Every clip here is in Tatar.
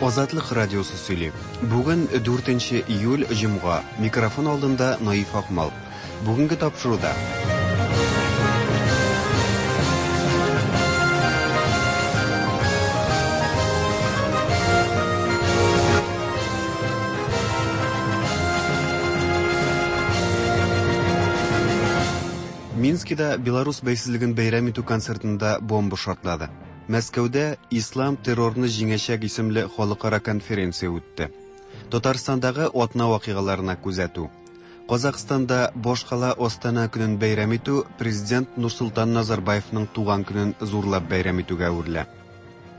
Азатлык радиосы сөйли. Бүген 4 июль, җомга. Микрофон алдында Наиф Акмал. Бүгенге тапшыруда. Минскида Беларус бәйсезлеген бәйрәм итү концертында бомба шартлады. Мәскәүдә Ислам террорны җиңәчәк исемле халыкара конференция үтте. Татарстандагы атна вакыйгаларына күзәтү. Казахстанда башкала Астана көнен бәйрәм итү президент Нурсултан Назарбаевның туган көнен зурлап бәйрәм итүгә әверелә.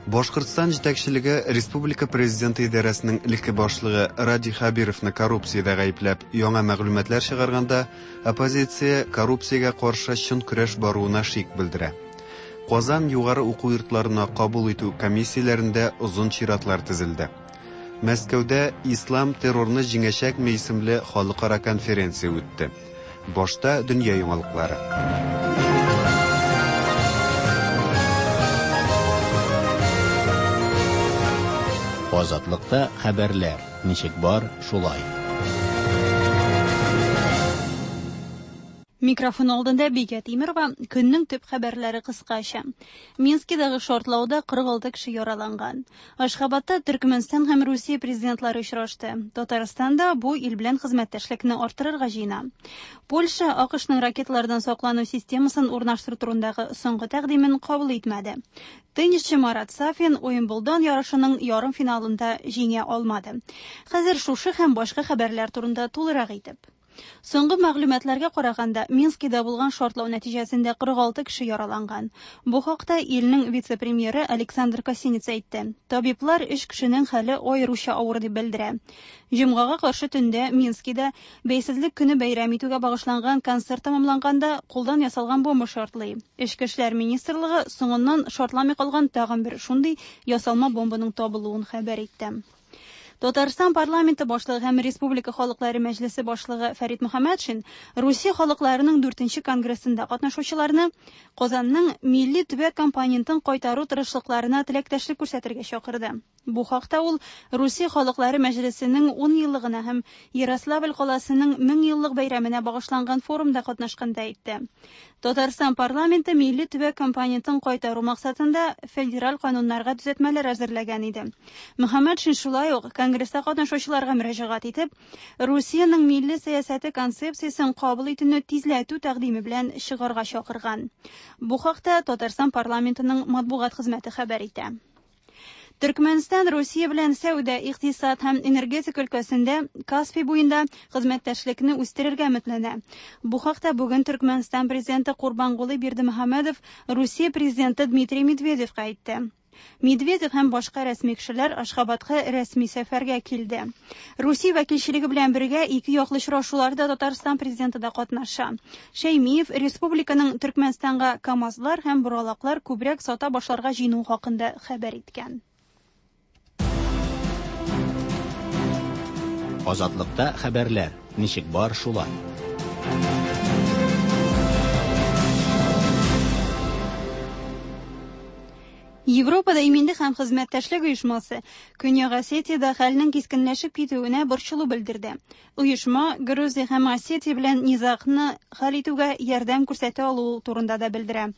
Башкортстан җитәкчелеге республика президенты идарәсенең элекке башлыгы Радий Хәбировны коррупциядә гаепләп яңа мәгълүматлар чыгарганда, оппозиция коррупциягә каршы чын көрәш баруына шик белдерә. Казан югары уку йортларына кабул итү комиссияләрендә озын чиратлар тезелде. Мәскәүдә Ислам террорны җиңәчәкме исемле халыкара конференция үтте. Башта дөнья яңалыклары. Азатлыкта хәбәрләр ничек бар, шулай. Микрофон алдында Бикә Тимерова, көннең төп хәбәрләре кыскача. Минскидагы шартлауда 46 кеше яраланган. Ашхабадта Төркмәнстан һәм Русия президентлары очрашты. Татарстан да бу ил белән хезмәттәшлекне арттырырга җыена. Польша АКШның ракеталардан саклану системасын урнаштыру турындагы соңгы тәкъдимен кабул итмәде. Теннисчы Марат Сафин Уимблдон ярышының ярымфиналында җиңә алмады. Хәзер шушы һәм башка хәбәрләр турында тулырак итеп. Соңгы мәгълүматларга караганда, Минскида булган шартлау нәтиҗәсендә 46 кеше яраланган. Бу хакта илнең вице-премьеры Александр Косинец әйтте. Табиблар өч кешенең хәле аеруча авыр дип белдерә. Җомгага каршы төндә Минскида Бәйсезлек көне бәйрәм итүгә багышланган концерт тәмамланганда кулдан ясалган бомба шартлый. Эчке эшләр министрлыгы соңыннан шартламый калган тагын бер шундый ясалма бомбаның табылуын хәбәр итте. Татарстан парламенты башлыгы һәм Республика халыклары мәҗлесе башлыгы Фәрит Мөхәммәтшин Русия халыкларының 4нче конгрессында катнашучыларны Казанның милли төбәк компонентын кайтару тырышлыкларына теләктәшлек күрсәтергә чакырды. Бу хакта ул Русия халыклары мәҗлесенең 10 еллыгына һәм Ярославль каласының 1000 еллык бәйрәменә багышланган форумда катнашканда әйтте. Татарстан парламенты милли төбәк компонентын кайтару максатында федераль кануннарга төзәтмәләр әзерләгән иде. Мөхәммәтшин шулай ук конгресста катнашучыларга мөрәҗәгать итеп, Русиянең милли сәясәте концепциясен кабул итүне тизләтү тәкъдиме белән чыгарга чакырган. Бу хакта Татарстан парламентының матбугат хезмәте хәбәр итә. Төркмәнстан Русия белән сәүдә, икътисад һәм энергетика өлкәсендә Каспий буенда хезмәттәшлекне үстерергә өметләнә. Бу хакта бүген Төркмәнстан президенты Курбангулы Бердымөхәммәдов Русия президенты Дмитрий Медведевка әйтте. Медведев һәм башка рәсми кешеләр Ашхабадка рәсми сәфәргә килде. Русия вәкилчелеге белән бергә ике яклы очрашуларда Татарстан президенты да катнаша. Шәймиев республиканың Төркмәнстанга КАМАЗлар һәм боралаклар күбрәк сата башларга җыенуы хакында хәбәр иткән. Азатлыкта хәбәрләр ничек бар, шулай. Европада иминлек һәм хезмәттәшлек оешмасы Көньяк Осетиядә хәлнең кискенләшеп китүенә борчылу белдерде. Оешма Грузия һәм Осетия белән низагны хәл итүгә ярдәм күрсәтә алуы турында да белдерә.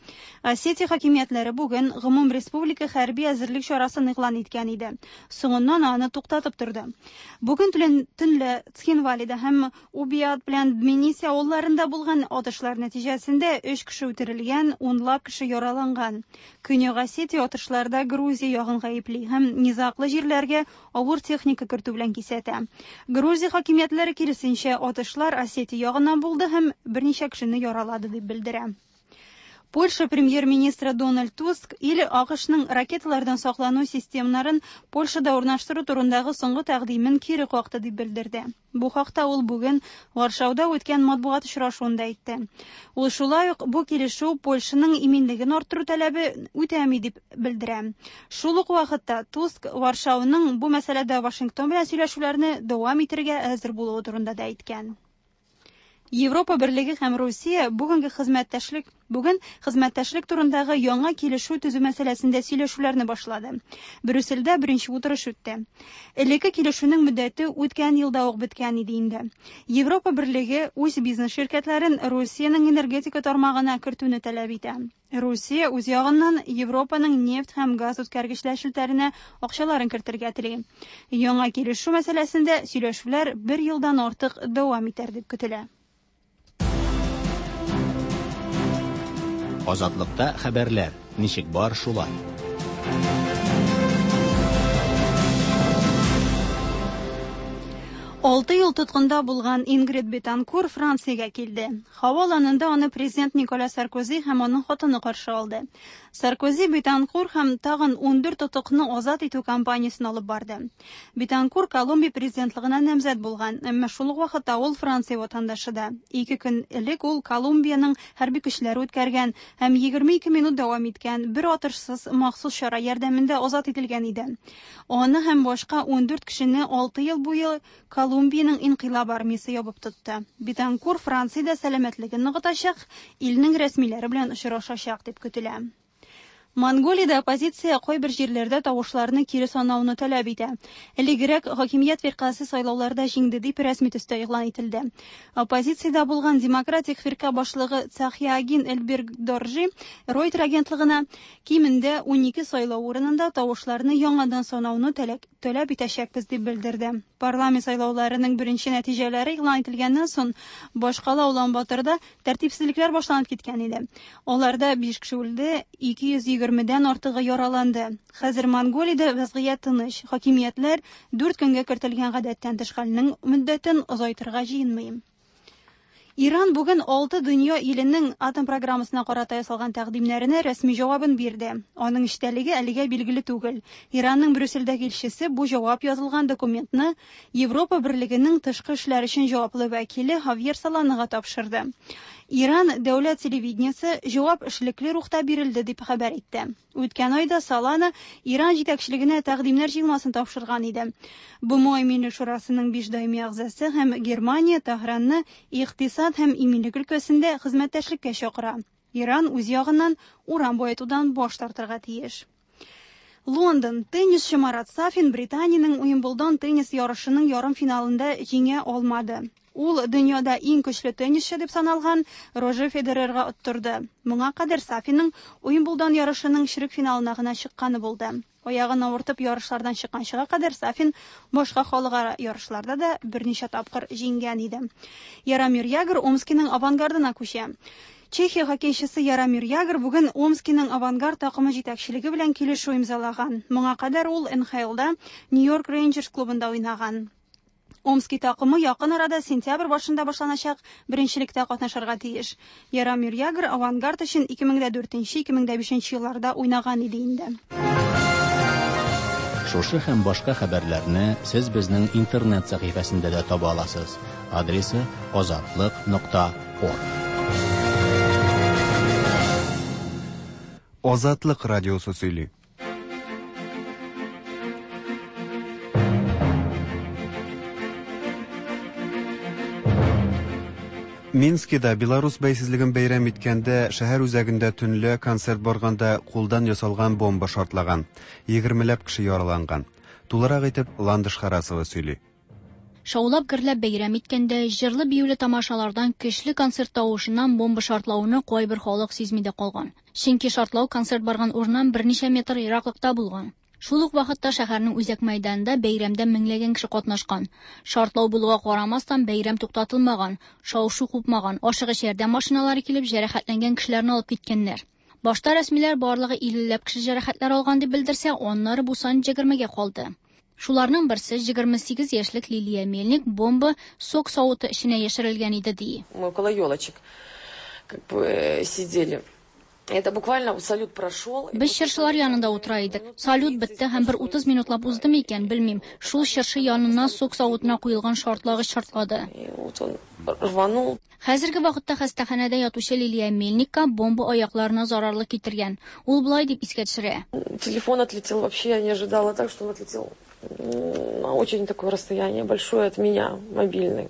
Осетия хакимиятләре бүген гомум республика хәрби әзерлек чарасын игълан иткән иде. Соңыннан аны туктатып торды. Бүген төнлә Цхинвалида һәм Убиат белән Дмениси авылларында булган атышлар нәтиҗәсендә 3 кеше үтерелгән, унлап кеше яраланган. Көньяк Осетия атышларда Грузия ягын гаепли һәм низаглы җирләргә авыр техника кертү белән кисәтә. Грузия хакимиятләре киресенчә атышлар Осетия ягыннан булды һәм берничә кешене яралады дип белдерә. Польша премьер-министры Дональд Туск ил АКШның ракеталардан саклану системнарын Польшада урнаштыру турындагы соңгы тәкъдимен кире какты дип белдерде. Бу хакта ул бүген Варшауда үткән матбугат очрашуында әйтте. Ул шулай ук бу килешү Польшаның иминлеген арттыру таләбе үтәми дип белдерә. Шул ук вакытта Туск Варшауның бу мәсьәләдә Вашингтон белән сөйләшүләрне дәвам итәргә әзер булуы турында да әйткән. Европа Берлеге һәм Русия бүгенге хезмәттәшлек бүген хезмәттәшлек турындагы яңа килешү төзү мәсьәләсендә сөйләшүләрне башлады. Брюссельдә беренче утырыш үтте. Элекке килешүнең мөддәте үткән елда ук беткән иде инде. Европа Берлеге үз бизнес ширкәтләрен Русиянең энергетика тармагына кертүне таләп итә. Русия үз ягыннан Европаның нефть һәм газ үткәргечләр челтәренә акчаларын кертергә тели. Яңа килешү мәсьәләсендә сөйләшүләр бер елдан артык дәвам итәр дип көтелә. Азатлыкта хәбәрләр ничек бар шулай. 6 ел тоткында булган Ингрид Бетанкур Франциягә килде. Һава аланында аны президент Николя Саркози һәм аның хатыны каршы алды. Саркози Бетанкур һәм тагын 14 тотыкны азат итү кампаниясен алып барды. Бетанкур Колумбия президентлыгына намзәт булган, әмма шул ук вакытта ул Франция ватандашы да. 2 көн элек ул Колумбиянең хәрби көчләре үткәргән һәм 22 минут дәвам иткән бер атышсыз махсус чара ярдәмендә азат ителгән иде. Аны һәм башка 14 кешене 6 ел буе Колумбиянең инкыйлаб армиясе ябып тотты. Бетанкур Франциядә сәламәтлеген ныгытачак, илнең рәсмиләре белән очрашачак дип көтелә. Монголиядә оппозиция кайбер җирләрдә тавышларны кире санауны таләп итә. Элегрәк хакимият фиркасе сайлауларда җиңде дип рәсми төстә игълан ителде. Оппозициядә булган Демократик фирка башлыгы Цахиагин Эльберг-Доржи Reuters агентлыгына кимендә 12 сайлау урынында тавышларны яңадан санауны таләп итәчәкбез дип белдерде. Парламент сайлауларының беренче нәтиҗәләре игълан ителгәннән соң башкала Улан-Баторда тәртипсезлекләр башланып киткән иде. Аларда 5 кеше үлде, 220-дән артыгы яраланды. Хәзер Монголиядә вазгыять тыныч. Хакимиятләр 4 көнгә кертелгән гадәттән тыш хәлнең мөддәтен озайтырга җыенмый. Иран бүген 6 дөнья иленең атом программасына карата ясалган тәкъдимнәренә рәсми җавабын бирде. Аның эчтәлеге әлегә билгеле түгел. Иранның Брюссельдәге илчесе бу җавап язылган документны Европа Берлегенең тышкы эшләр өчен җаваплы вәкиле Хавьер Соланага тапшырды. Иран дәүләт телевидениесе җавап эшлекле рухта бирелде дип хәбәр итте. Үткән айда Солана Иран җитәкчелегенә тәкъдимнәр җыелмасын тапшырган иде. БМО Иминлек шурасының 5 даими әгъзасы һәм Германия Тәһранны икътисад һәм иминлек өлкәсендә хезмәттәшлеккә чакыра. Иран үз ягыннан уран баетудан баш тартырга тиеш. Лондон. Теннисчы Марат Сафин Британиянең Уимблдон теннис ярышының ярым финалында җиңә алмады. Ул дөньяда иң көчле теннисчы дип саналган Рожер Федерерга оттырды. Моңа кадәр Сафинның Уимблдон ярышының чирек финалына гына чыкканы булды. Аягын авыртып ярышлардан чыкканчыга кадәр Сафин башка халыкара ярышларда да берничә тапкыр җиңгән иде. Яромир Ягр Омскиның Авангардына күчә. Чехия хоккейчысы Яромир Ягр бүген Омскиның Авангард такымы җитәкчелеге белән килешү имзалаган. Моңа кадәр ул НХЛда Нью-Йорк Рейнджерс клубында уйнаган. Омский такымы якын арада сентябрь башында башланачак беренчелектә катнашырга тиеш. Яромир Ягр Авангард өчен 2004-2005 елларда уйнаган иде инде. Шушы һәм башка хәбәрләрне сез безнең интернет сәхифәсендә дә таба аласыз. Адресы azatliq.org. Азатлык радиосы сөйли. Минскида Беларус бәйсезлеген бәйрәм иткәндә шәһәр үзәгендә төнлә концерт барганда кулдан ясалган бомба шартлаган. 20ләп кеше яраланган. Тулырак итеп Ландыш Харасова сөйли. Шаулап гөрләп бәйрәм иткәндә, җырлы биюле тамашалардан көчле концерт тавышыннан бомба шартлауны кайбер халык сизми дә калган. Чөнки шартлау концерт барган урыннан берничә метр ераклыкта булган. Шул ук вакытта шәһәрнең үзәк мәйданында бәйрәмдә меңләгән кеше катнашкан. Шартлау булуга карамастан бәйрәм туктатылмаган, шау-шу купмаган, ашыгыч ярдәм машиналары килеп җәрәхәтләнгән кешеләрне алып киткәннәр. Башта рәсмиләр барлыгы 50ләп кеше җәрәхәтләр алган дип белдерсә, аннары бу сан 20гә калды. Шуларның берсе 28 яшьлек Лилия Мельник бомба сок савыты эченә яшерелгән иде ди. Мы около елочек как бы сидели. Это буквально салют прошел. Без чыршылар янында утыра идек. Салют бетте һәм бер 30 минутлап узды микән, белмим. Шул чыршы янына сок савытына куелган шартлагыч шартлады. И вот он рванул. Хәзерге вакытта хастаханәдә ятучы Лилия Мельникка бомба аякларына зарарлы китергән. Ул болай дип искә төшерә. Телефон отлетел вообще, я не ожидала так, что он отлетел на очень такое расстояние большое от меня, мобильный.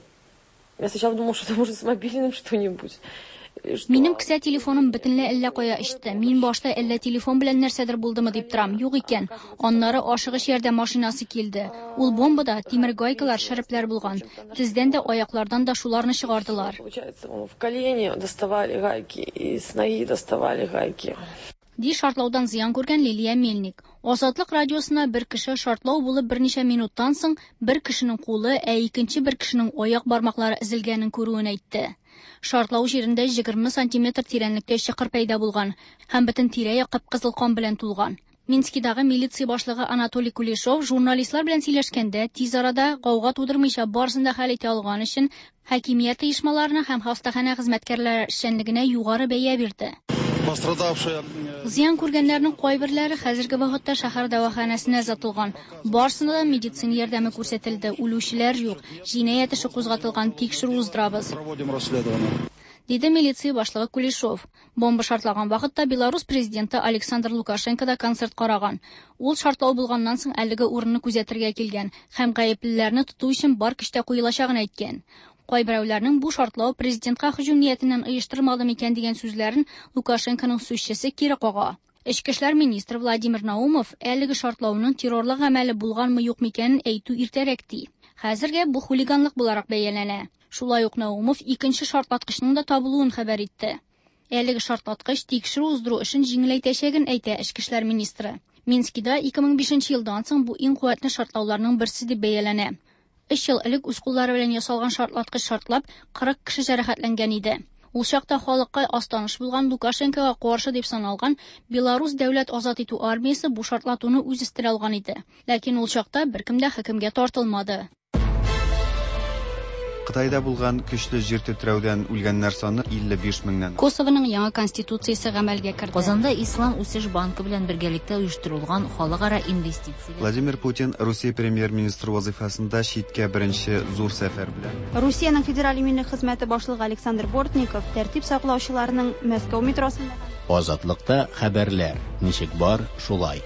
Я сначала думала, что это может с мобильным что-нибудь. Минем кесә телефоным бөтенләй әллә кая очты. Мин башта әллә телефон белән нәрсәдер булдымы дип торам. Юк икән. Аннары ашыгыч ярдәм машинасы килде. Ул бомбада тимер гайкалар, шәрепләр булган. Тездән дә, аяклардан да шуларны чыгардылар. Получается, в колене доставали гайки, и с ноги доставали гайки. Ди шартлаудан зыян күргән Лилия Мельник. Азатлык радиосына бер кеше шартлау булып берничә минуттан соң бер кешенең кулы, ә икенче бер кешенең аяк бармаклары өзелгәнен күрүен әйтте. Шартлау җирендә 20 сантиметр тирәнлектә чокыр пәйда булган һәм бөтен тирә-як кып-кызыл кан белән тулган. Минскидагы милиция башлыгы Анатолий Кулешов журналистлар белән сөйләшкәндә тиз арада гауга тудырмыйча барысын да хәл итә алган өчен хакимият оешмаларына һәм хастаханә хезмәткәрләре эшчәнлегенә югары бәя бирде. Пострадавшие Зыян күргәннәрнең кайберләре хәзерге вакытта шәһәр дәваханәсенә озатылган. Барысына да медицина ярдәме күрсәтелде, үлүчеләр юк. Җинаять эше кузгатылган, тикшерү уздырабыз. Проводим расследование. Диде милиция башлыгы Кулешов. Бомба шартлаган вакытта Беларус президенты Александр Лукашенко да концерт караган. Ул шартлау булганнан соң әлеге урынны күзәтергә килгән һәм гаеплеләрне тоту өчен бар көч тә куелачагын әйткән. Кайберәүләрнең бу шартлау президентка һөҗүм ниятеннән оештырмады микән дигән сүзләрен Лукашенконың сүзчесе кире кага. Эчке эшләр министры Владимир Наумов әлеге шартлауның террорлык гамәле булганмы юк микәнен әйтү иртәрәк ди. Хәзергә бу хулиганлык буларак бәяләнә. Шулай ук Наумов икенче шартлаткычның да табылуын хәбәр итте. Әлеге шартлаткыч тикшерү уздыру эшен җиңеләйтәчәген әйтә эчке эшләр министры. Минскида 2005 елдан соң бу иң куәтле шартлауларның берсе дип бәяләнә. Өч ел элек үз куллары белән ясалган шартлаткыч шартлап, 40 кеше җәрәхәтләнгән иде. Ул чакта халыкка аз таныш булган Лукашенкога каршы дип саналган Беларус дәүләт азат итү армиясе бу шартлатуны үз өстенә алган иде. Ләкин ул чакта беркем дә хөкемгә тартылмады. Кытайда булган көчле җир тетрәүдән үлгәннәр саны 55 меңнән. Косовоның яңа конституциясе гамәлгә керде. Казанда Ислам үсеш банкы белән бергәлектә оештырылган халыкара инвестицияләр Владимир Путин Русия премьер-министры вазыйфасында читкә беренче зур сәфәр белән. Русиянең федераль иминлек хезмәте башлыгы Александр Бортников тәртип саклаучыларның Мәскәү метросында Азатлыкта хәбәрләр ничек бар, шулай.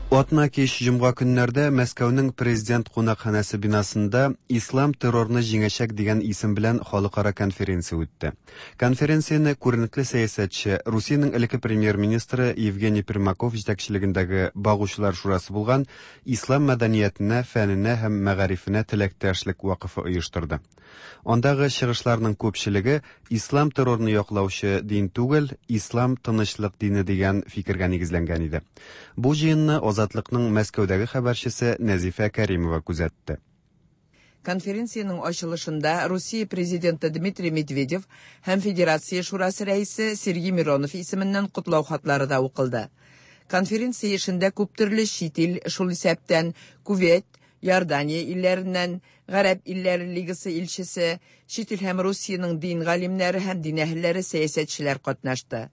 Атна кич җомга көннәрдә Мәскәүнең президент кунакханәсе бинасында Ислам террорны җиңәчәк дигән исем белән халыкара конференция үтте. Конференцияне күренекле сәясәтче, Русиянең элекке премьер-министры Евгений Примаков җитәкчелегендәге Багучылар шурасы булган Ислам мәдәниятенә, фәненә һәм мәгарифенә теләктәшлек вакыфы оештырды. Андагы чыгышларның күпчелеге ислам террорны яклаучы дин түгел, ислам тынычлык дине дигән фикергә нигезләнгән иде. Бу җыенны Азатлыкның Мәскәүдәге хәбәрчесе Нәзифә Кәримова күзәтте. Конференциянең ачылышында Русия президенты Дмитрий Медведев һәм Федерация шурасы рәисе Сергей Миронов исеменнән котлау хатлары да укылды. Конференция эшендә күп төрле чит ил, шул исәптән Кувейт, Иордания илләреннән, Гарәп илләре лигасы илчесе, чит ил һәм Русиянең дин галимнәре һәм дин әһелләре, сәясәтчеләр катнашты.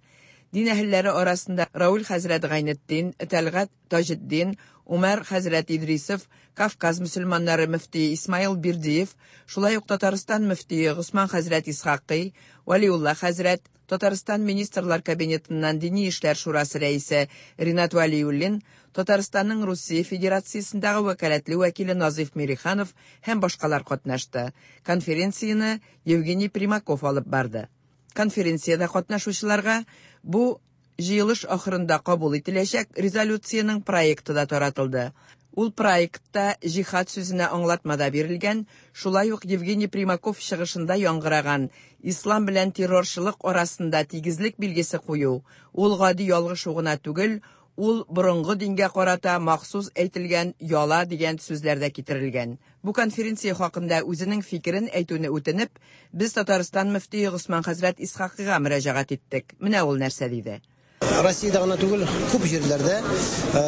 Дин әһелләре арасында Рауль хәзрәт Гайнетдин, Тәлгать Таҗетдин, Умар хәзрәт Идрисов, Кавказ мөселманнары мөфтие Исмаил Бердиев, шулай ук Татарстан мөфтие Госман хәзрәт Исхакый, Валиулла хәзрәт, Татарстан Министрлар Кабинетыннан Дини эшләр шурасы рәисе Ринат Валиуллин, Татарстанның Русия Федерациясендәге вәкаләтле вәкиле Назиф Мириханов һәм башкалар катнашты. Конференцияне Евгений Примаков алып барды. Конференциядә катнашучыларга бу җыелыш ахырында кабул ителәчәк резолюциянең проекты да таратылды. Ул проектта җихад сүзенә аңлатма да бирелгән, шулай ук Евгений Примаков чыгышында яңгыраган ислам белән террорчылык арасында тигезлек билгесе кую, ул гади ялгышу гына түгел, ул борынгы дингә карата махсус әйтелгән яла дигән сүзләр дә китерелгән. Бу конференция хакында үзенең фикерен әйтүне үтенеп, без Татарстан мөфтие Госман хәзрәт Исхакыйга мөрәҗәгать иттек. Менә ул нәрсә диде. Россиядә гына түгел, күп җирләрдә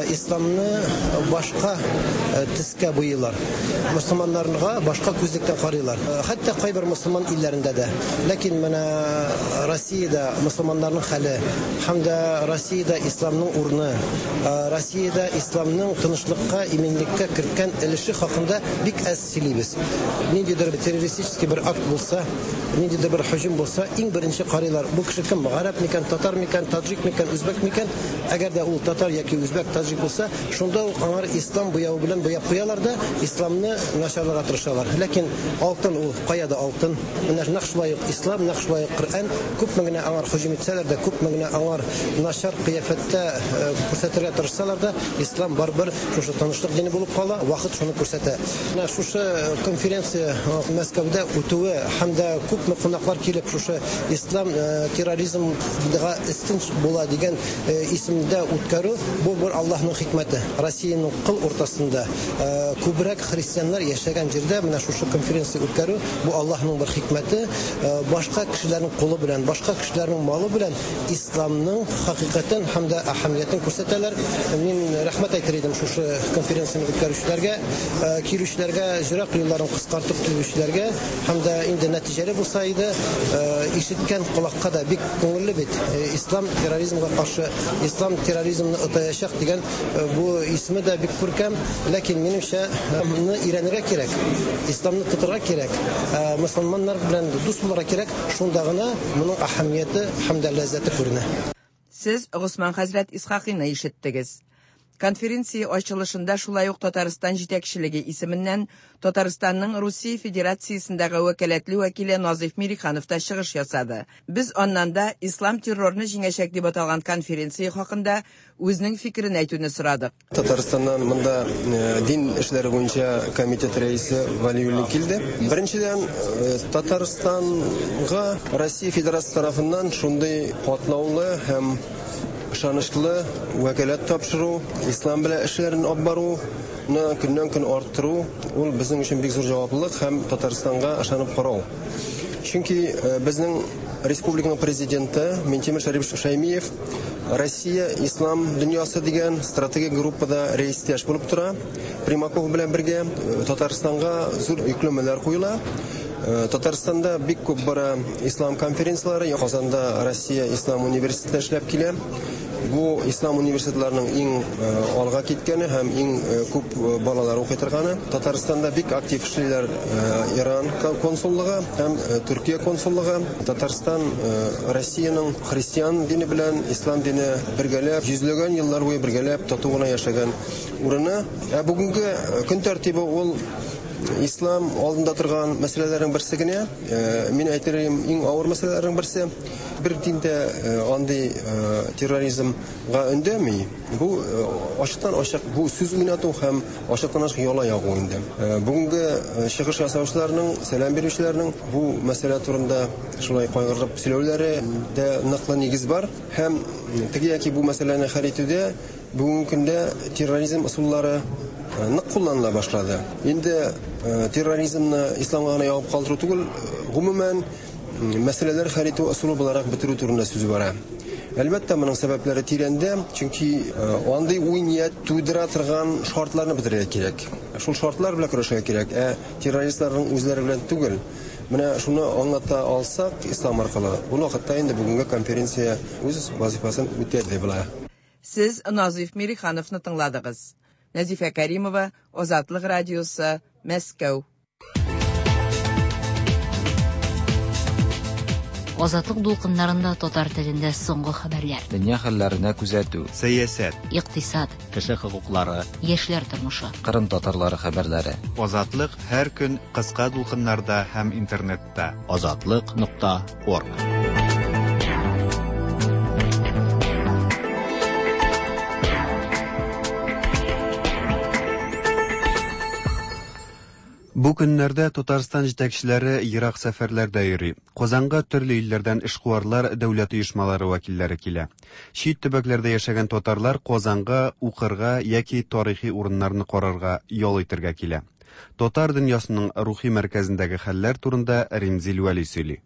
исламны башка төскә буйыйлар. Мөселманнарга башка күзлектән карыйлар. Хәтта кайбер мөселман илләрендә дә. Ләкин менә Россиядә мөселманнарның хәле һәм дә Россиядә исламның урыны, Россиядә исламның тынычлыкка, иминлеккә керткән өлеше хакында бик әз сөйлибез. Ниндидер террористический бер акт булса, ниндидер бер һөҗүм булса, иң беренче карыйлар. Бу кеше кем? Гарәп микән, татар микән, таджик микән, үзбәк микән? Әгәр дә ул татар яки үзбәк, таҗик булса, шунда ук аңар ислам буявы белән буяп куялар да, исламны начарларга тырышалар. Ләкин алтын ул кая да алтын. Менә нәкъ шулай ук ислам, нәкъ шулай ук Коръән күпме генә аңар һөҗүм итсәләр дә, күпме генә аңар начар кыяфәттә күрсәтергә тырышсалар да, ислам барыбер шушы тынычлык дине булып кала, вакыт шуны күрсәтә. Менә шушы конференция Мәскәүдә үтүе һәм дә күпме кунаклар килеп шушы ислам терроризмга өстен була дигән исемдә үткәрү, бу бер Аллаһның хикмәте. Россиянең кыл уртасында күбрәк христианнар яшәгән җирдә менә шушы конференция үткәрү, бу Аллаһның бер хикмәте. Башка кешеләрнең кулы белән, башка кешеләрнең малы белән исламның хакыйкатен һәм дә әһәмиятен күрсәтәләр. Мин рәхмәт әйтер идем шушы конференцияне үткәрүчеләргә, килүчеләргә, җырак юлларын кыскартып килүчеләргә һәм дә инде нәтиҗәле булса иде, ишеткән колакка да бик күңелле бит. Ислам терроризмга каршы, ислам терроризмны отаячак дигән бу исеме дә бик күркәм, ләкин минемчә, аны өйрәнергә кирәк, исламны тотырга кирәк, мөселманнар белән дус булырга кирәк, шунда гына моның әһәмияте һәм дә ләззәте күренә. Сез Госман хәзрәт Исхакыйны ишеттегез. Конференция ачылышында шулай ук Татарстан җитәкчелеге исеменнән Татарстанның Русия Федерациясендәге вәкаләтле вәкиле Назыйф Мириханов та чыгыш ясады. Без аннан да Ислам террорны җиңәчәк дип аталган конференция хакында үзенең фикерен әйтүне сорадык. Татарстаннан монда дин эшләре буенча комитет рәисе Валиуллин килде. Беренчедән, Татарстанга Россия Федерациясе тарафыннан шундый катлаулы һәм ышанычлы вәкаләт тапшыру, ислам белән эшләрен алып баруны көннән-көн арттыру, ул безнең өчен бик зур җаваплылык һәм Татарстанга ышанып карау. Чөнки безнең республиканың президенты Минтимер Шәрипович Шәймиев Россия ислам дөньясы дигән стратегик группада рәистәш булып тора. Примаков белән бергә Татарстанга зур йөкләмәләр куела. Татарстанда бик күп бара ислам конференцияләре, Казанда Россия ислам университеты эшләп килә. Бу ислам университетларының иң алга киткәне һәм иң күп балалар укый торганы. Татарстанда бик актив эшлиләр Иран консуллыгы һәм Төркия консуллыгы. Татарстан Россиянең христиан дине белән ислам дине бергәләп, йөзләгән еллар буе бергәләп тату гына яшәгән урыны. Ә бүгенге көн тәртибе ул ислам алдында торган мәсьәләләрнең берсе генә. Мин әйтер идем, иң авыр мәсьәләләрнең берсе. Бер дин дә андый терроризмга өндәми. Бу ачыктан-ачык бу сүз уйнату һәм ачыктан-ачык яла ягу инде. Бүгенге чыгыш ясаучыларның, сәлам бирүчеләрнең бу мәсьәлә турында шулай кайгырып сөйләүләре дә ныклы нигез бар. Һәм теге яки бу мәсьәләне хәл итүдә бүгенге көндә терроризм ысуллары нык кулланыла башлады. Инде терроризмны исламга гына ябып калдыру түгел, гомумән мәсьәләләр хәл итү ысулы буларак бетерү турында сүз бара. Әлбәттә, моның сәбәпләре тирәндә, чөнки андый уй-ният тудыра торган шартларны бетерергә кирәк. Шул шартлар белән көрәшергә кирәк, ә террористларның үзләре белән түгел. Менә шуны аңлата алсак ислам аркылы, ул вакытта инде бүгенге конференция үз вазифасын үтәде була. Сез Назыйф Мирихановны тыңладыгыз. Нәзифә Кәримова, Азатлык радиосы, Мәскәү. Азатлык дулкыннарында татар телендә соңгы хәбәрләр. Дөнья хәлләренә күзәтү. Сәясәт. Икътисад. Кеше хокуклары. Яшьләр тормышы. Кырым татарлары хәбәрләре. Азатлык һәр көн кыска дулкыннарда һәм интернетта. Азатлык.орг. Бу көннәрдә Татарстан җитәкчеләре ерак сәфәрләрдә йөри. Казанга төрле илләрдән эшкуарлар, дәүләт оешмалары вәкилләре килә. Чит төбәкләрдә яшәгән татарлар Казанга укырга яки тарихи урыннарны карарга, ял итәргә килә. Татар дөньясының рухи мәркәзендәге хәлләр турында Римзил Вәли сөйли.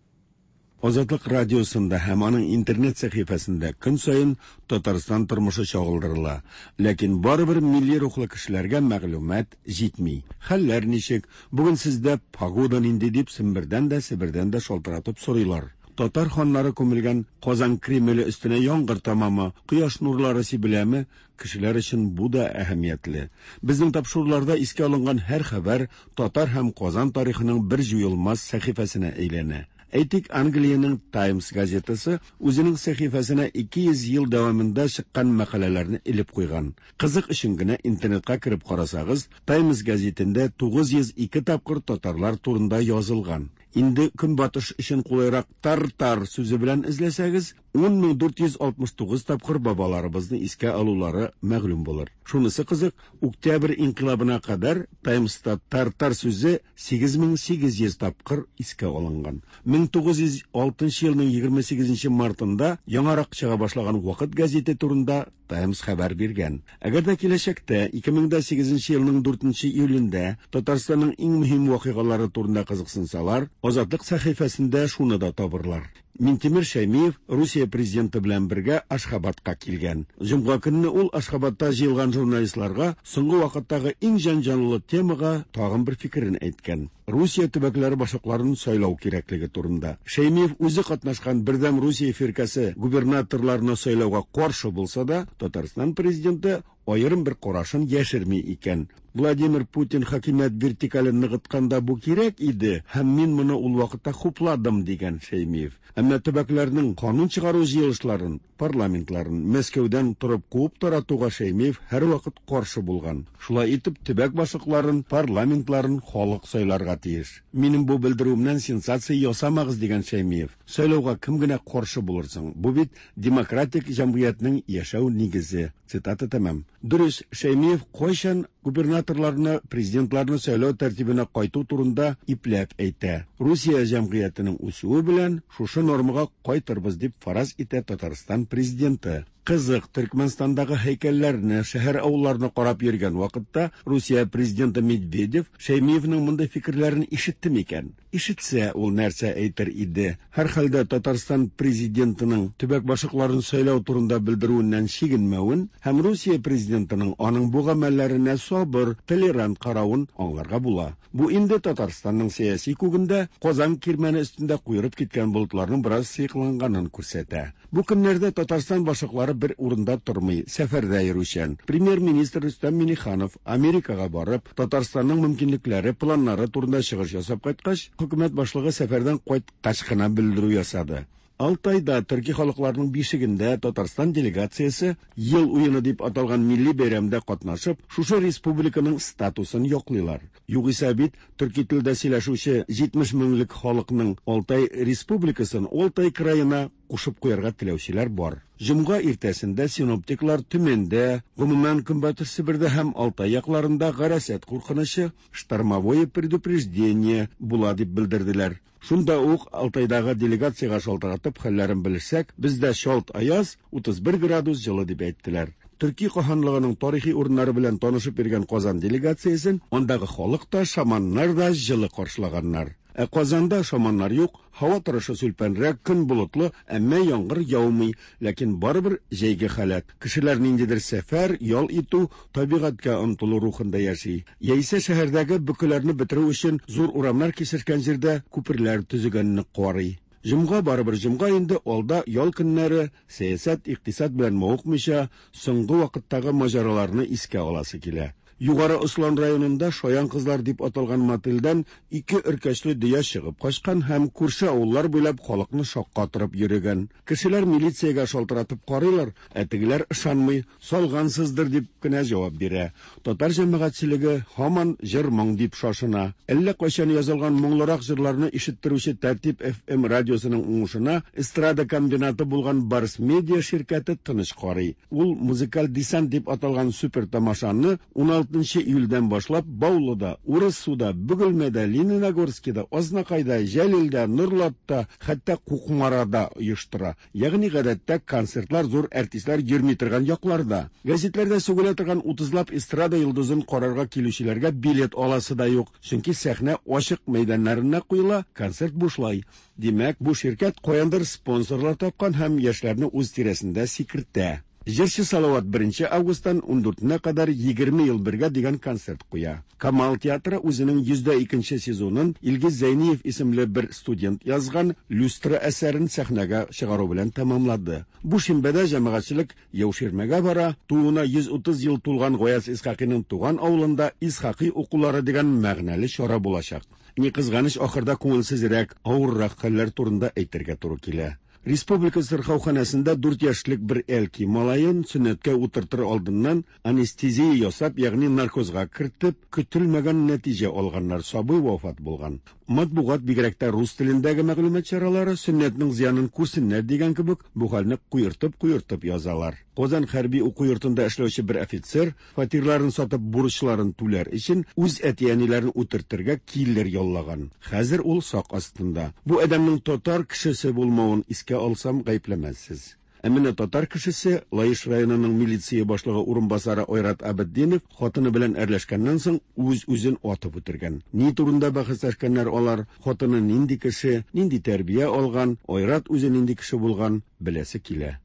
Азатлык радиосында һәм аның интернет сәхифәсендә көн саен Татарстан тормышы чагылдырыла. Ләкин барыбер милли рухлы кешеләргә мәгълүмат җитми. Хәлләр ничек? Бүген сездә погода нинди дип Сембердән дә, Себердән дә шалтыратып сорыйлар. Татар ханнары күмелгән Казан Кремле өстенә яңгыр тамамы, кояш нурлары сибеләме? Кешеләр өчен бу да әһәмиятле. Безнең тапшыруларда искә алынган һәр хәбәр татар һәм Казан тарихының бер җуелмас сәхифәсенә әйләнә. Әйтик, Англиянең Times газетасы үзенең сәхифәсенә 200 ел дәвамында чыккан мәкаләләрне элеп куйган. Кызык өчен генә интернетка кереп карасагыз, Times гәзитендә 902 тапкыр татарлар турында язылган. Инде көнбатыш өчен кулайрак тар-тар сүзе белән эзләсәгез, 10469 тапкыр бабаларыбызны искә алулары мәгълүм булыр. Шунысы кызык, Октябрь инкыйлабына кадәр Таймста тар-тар сүзе 8800 тапкыр искә алынган. 1906 елның 28 мартында яңарак чыга башлаган Вакыт гәзите турында Таймс хәбәр биргән. Әгәр дә киләчәктә 2008 елның 4 июлендә Татарстанның иң мөһим вакыйгалары турында кызыксынсалар, Азатлык сәхифәсендә шуны да табырлар. Минтимер Шәймиев Русия президенты белән бергә Ашхабадка килгән. Җомга көнне ул Ашхабадта җыелган журналистларга соңгы вакыттагы иң җанҗанлы темага тагын бер фикерен әйткән. Русия төбәкләре башлыкларын сайлау кирәклеге турында. Шәймиев үзе катнашкан Бердәм Русия фиркәсе губернаторларны сайлауга каршы булса да, Татарстан президенты аерым бер карашын яшерми икән. Владимир Путин хакимият вертикален ныгытканда бу кирәк иде һәм мин моны ул вакытта хупладым, дигән Шәймиев. Әмма төбәкләрнең канун чыгару җыелышларын, парламентларын Мәскәүдән торып куып таратуга Шәймиев һәрвакыт каршы булган. Шулай итеп, төбәк башлыкларын, парламентларын халык сайларга тиеш. Минем бу белдерүемнән сенсация ясамагыз, дигән Шәймиев. Сайлауга кем генә каршы булырсың? Бу бит демократик җәмгыятьнең яшәү нигезе. Цитата тәмам. Дөрес, Шәймиев кайчан губернаторларны, президентларны сайлау тәртибенә кайту турында ипләп әйтә. Русия җәмгыятенең үсүе белән шушы нормага кайтырбыз дип фараз итә Татарстан президенты. Кызык, Төркмәнстандагы һәйкәлләрне, шәһәр-авылларны карап йөргән вакытта Русия президенты Медведев Шәймиевның мондый фикерләрен ишетте микән? Ишетсә, ул нәрсә әйтер иде? Һәрхәлдә Татарстан президентының төбәк башлыкларын сайлау турында белдерүеннән чигенмәвен һәм Русия президентының аның бу гамәлләренә сабыр, толерант каравын аңларга була. Бу инде Татарстанның сәяси күгендә Казан кирмәне өстендә куерып киткән болытларның бераз сыекланганын күрсәтә. Бу көннәрдә Татарстан башлыклары бер урында тормый, сәфәрдә йөрүчән. Премьер-министр Рөстәм Миңнеханов Америкага барып, Татарстанның мөмкинлекләре, планнары турында чыгыш ясап кайткач, хөкүмәт башлыгы сәфәрдән кайткач кына белдерү ясады. Алтайда төрки халыкларның бишегендә Татарстан делегациясе Ел уены дип аталган милли бәйрәмдә катнашып, шушы республиканың статусын яклыйлар. Югыйсә бит төрки телдә сөйләшүче 70 меңлек халыкның Алтай республикасын Алтай краена кушып куярга теләүчеләр бар. Җомга иртәсендә синоптиклар Төмәндә, гомумән Көнбатыш Себердә һәм Алтай якларында гарасат куркынычы, штормовое предупреждение, була дип белдерделәр. Шунда ук Алтайдагы делегациягә шалтыратып хәлләрен белешсәк, бездә чалт аяз, 31 градус җылы дип әйттеләр. Төрки каһанлыгының тарихи урыннары белән танышып йөргән Казан делегациясен андагы халык та, шаманнар да җылы каршылаганнар. Ә Казанда шаманнар юк, һава торышы сүлпәнрәк, көн болытлы, әмма яңгыр яумый, ләкин барыбер җәйге халәт. Кешеләр ниндидер сәфәр, ял итү, табигатькә омтылу рухында яши. Яисә шәһәрдәге бөкеләрне бетерү өчен зур урамнар кисешкән җирдә күперләр төзегәнне карый. Җомга барыбер җомга инде, алда ял көннәре, сәясәт, икътисад белән мавыкмыйча, соңгы вакыттагы маҗараларны искә аласы килә. Югары Ослан районында Шаян кызлар дип аталган мотельдән ике өркәчле дөя чыгып качкан һәм күрше авыллар буйлап халыкны шаккатырып йөрегән. Кешеләр милициягә шалтыратып карыйлар, ә тегеләр ышанмый, салгансыздыр дип кенә җавап бирә. Татар җәмәгатьчелеге һаман җыр-моң дип шашына. Әллә кайчан язылган моңлырак җырларны ишеттерүче Тәртип FM радиосының уңышына эстрада комбинаты булган Барс Медиа ширкәте тыныч карый. Ул Музыкаль десант дип аталган супер тамашаны 16 июльдән башлап Баулыда, Урыссуда, Бөгелмәдә, Лениногорскида, Азнакайда, Җәлилдә, Норлатта, хәтта Кукмарада оештыра. Ягъни гадәттә концертлар зур артистлар йөрми торган якларда. Гәзитләрдә сүгелә торган утызлап эстрада йолдызын карарга килүчеләргә билет аласы да юк, чөнки сәхнә ачык мәйданнарына куела, концерт бушлай. Димәк, бу ширкәт каяндыр спонсорлар тапкан һәм яшьләрне үз тирәсендә сикертә. Җырчы Салават 1 августтан 14-нә кадәр 20 ел бергә дигән концерт куя. Камал театры үзенең 102 сезонын Илгиз Зәйниев исемле бер студент язган Люстра әсәрен сәхнәгә чыгару белән тәмамлады. Бу шимбәдә җәмәгатьчелек Яуширмәгә бара, тууына 130 ел тулган Гаяз Исхакыйның туган авылында Исхакый укулары дигән мәгънәле чара булачак. Ни кызганыч, ахырда күңелсезрәк, авыррак хәлләр турында әйтергә туры килә. Республика сырхауханәсендә 4 яшьлек бер әлки малаен сөннәткә утыртыр алдыннан анестезия ясап, ягъни наркозга кертеп, көтелмәгән нәтиҗә алганнар, сабый вафат булган. Матбугат, бигрәк тә рус телендәге мәгълүмат чаралары сөннәтнең зыянын күрсеннәр дигән кебек, бу хәлне куертып-куертып язалар. Казан хәрби уку йортында эшләүче бер офицер фатирларын сатып бурычларын түләр өчен үз әти-әниләрен үтертергә киллер яллаган. Хәзер ул сак астында. Бу адәмнең татар кешесе булмавын искә алсам, гаепләмәссез. Ә менә татар кешесе, Лаеш районының милиция башлыгы урынбасары Айрат Абетдинов хатыны белән әрләшкәннән соң үз-үзен атып үтергән. Ни турында бәхәсләшкәннәр алар, хатыны нинди кеше, нинди тәрбия алган, Айрат үзе нинди кеше булган, беләсе килә.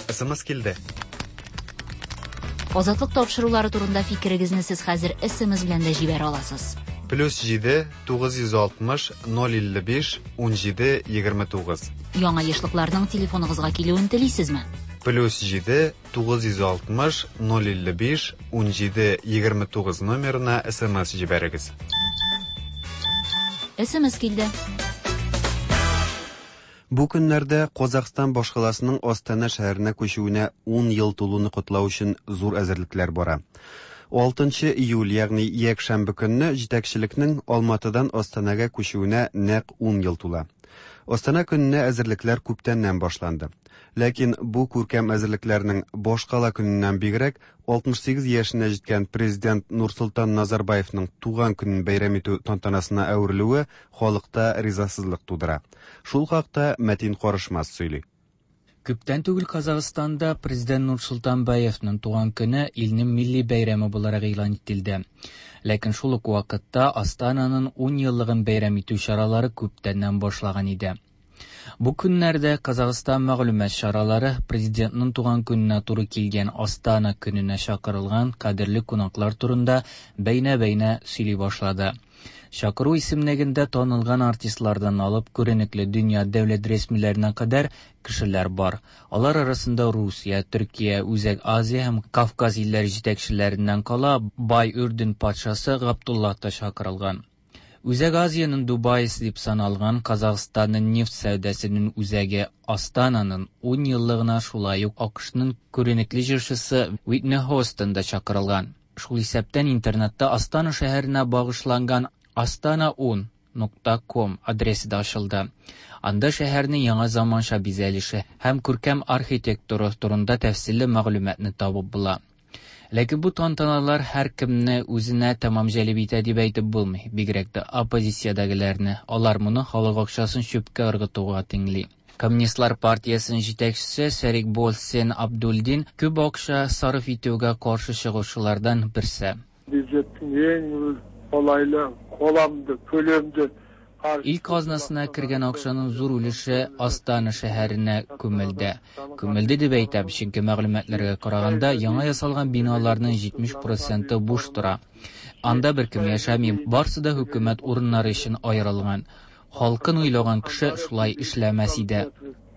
СМС килде. Азатлык тапшырулары турында фикерегезне сез хәзер СМС белән дә җибәрә аласыз. Плюс 7 960 055 17 29. Яңа ешлыкларның телефоныгызга килүен телисезме? Плюс 7 960 055 17 29 номерына СМС җибәрегез. СМС килде. Бу көннәрдә Казахстан башкаласының Астана шәһәренә күчүенә 10 ел тулуны котлау өчен зур әзерлекләр бара. 6 июль, ягъни якшәмбе көнне җитәкчелекнең Алматыдан Астанага күчүенә нәкъ 10 ел тула. Астана көненә әзерлекләр күптәннән башланды. Ләкин бу күркәм әзерлекләрнең башкала көненнән бигрәк 68 яшенә җиткән президент Нурсултан Назарбаевның туган көнен бәйрәм итү тантанасына әверелүе халыкта ризасызлык тудыра. Шул хакта Мәтин Карышмас сөйли. Күптән түгел Казахстанда президент Нурсултан Баевның туган көне илнең милли бәйрәме буларак игълан ителде. Ләкин шул ук вакытта Астананың 10 еллыгын бәйрәм итү чаралары күптәннән башлаган иде. Бу көннәрдә Казахстан мәгълүмат чаралары президентның туган көненә туры килгән Астана көненә чакырылган кадерле кунаклар турында бәйнә-бәйнә сөйли башлады. Чакыру исемлегендә танылган артистлардан алып күренекле дөнья дәүләт рәсмиләренә кадәр кешеләр бар. Алар арасында Русия, Төркия, Үзәк Азия һәм Кавказ илләре җитәкчеләреннән кала бай Үрдүн патшасы Габдулла та чакырылган. Үзәк Азиянең Дубайсы дип саналган Казахстанның нефть сәүдәсенең үзәге Астананың 10 еллыгына шулай ук АКШның күренекле җырчысы Уитни Хостон да чакырылган. Шул исәптән интернетта Астана шәһәренә багышланган astana10.com адресы да ачылды. Анда шәһәрнең яңа заманча бизәлеше һәм күркәм архитектура турында тәфсилле мәгълүматны табып була. Ләкин бу тантаналар һәркемне үзенә тәмам җәлеп итә дип әйтеп булмый, бигрәк тә оппозициядәгеләрне. Алар моны халык акчасын чүпкә ыргытуга тиңли. Коммунистлар партиясенең җитәкчесе Серикболсин Абдулдин күп акча сарыф итүгә каршы чыгучылардан берсе. Бюджеттің ең қолайлы, қоламды, көлемді Ил казнасына кергән акчаның зур өлеше Астана шәһәренә күмелде. Күмелде дип әйтәм, чөнки мәгълүматларга караганда, яңа ясалган биналарның 70% буш тора. Анда беркем яшәми, барсы да хөкүмәт урыннары өчен аерылган. Халкын уйлаган кеше шулай эшләмәс иде.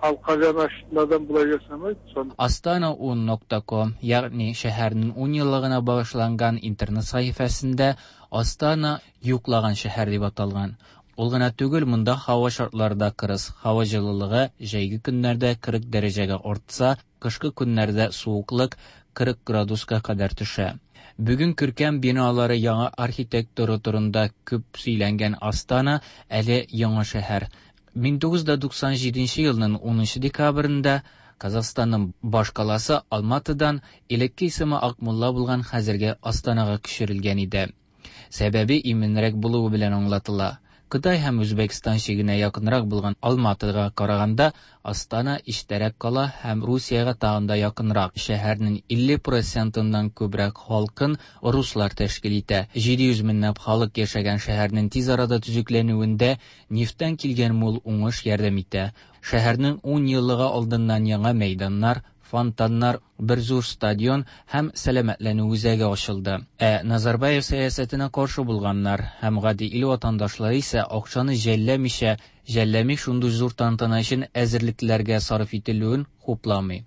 Халыққа жаны ашитын адам бұлай жасамайды. Сон Astana10.com, ягъни шәһәрнең 10 еллыгына багышланган интернет сәхифәсендә Астана йоклаган шәһәр дип аталган. Ул гына түгел, монда һава шартлары да кырыс. Һава җылылыгы җәйге көннәрдә 40 дәрәҗәгә артса, кышкы көннәрдә суыклык 40 градуска кадәр төшә. Бүген күркәм биналары яңа архитектура турында күп сөйләнгән Астана әле яңа шәһәр. 1997 елның 10 декабрендә Казахстанның башкаласы Алматыдан элекке исеме Акмулла булган хәзерге Астанага күчерелгән иде. Сәбәбе иминрәк булуы белән аңлатыла. Кытай һәм Үзбәкстан чигенә якынрак булган Алматыга караганда, Астана читтәрәк кала һәм Русиягә тагын да якынрак. Шәһәрнең 50 процентыннан күбрәк халкын руслар тәшкил итә. 700 меңләп халык яшәгән шәһәрнең тиз арада төзекләнүендә нефтьтән килгән мул уңыш ярдәм итә. Шәһәрнең 10 еллыгы алдыннан яңа мәйданнар, фонтаннар, бер зур стадион һәм сәламәтләнү үзәге ачылды. Ә Назарбаев сәясәтенә каршы булганнар һәм гади ил ватандашлары исә акчаны жәлләмичә, жәлләми шундый зур тантана өчен әзерлекләргә сарыф ителүен хупламый.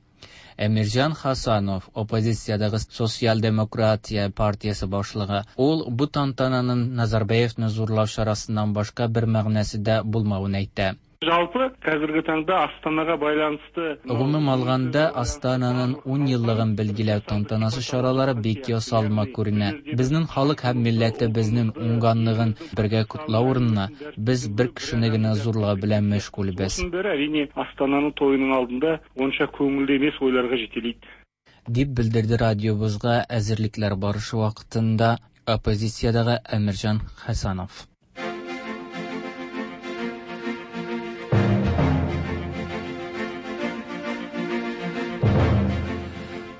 Әмирҗан Хасанов, оппозициядәге Социал-демократия партиясе башлыгы, ул бу тантананың Назарбаевны зурлау чарасыннан башка бер мәгънәсе дә булмавын әйтә. Жалпы, қазіргі таңда Астанаға байланысты Гомум алганда, Астананың 10 еллыгын билгеләү тантанасы чаралары бик ясалма күренә. Безнең халык һәм милләтебезнең уңганлыгын бергә котлау урынына, без бер кешене генә зурлау белән мәшгульбез. Осының бәрі, әрине, Астананың тойының алдында онша көңілді емес ойларға жетелейді. Дип белдерде радиобызга әзерлекләр барышы вакытында оппозициядәге Әмирҗан Хәсанов.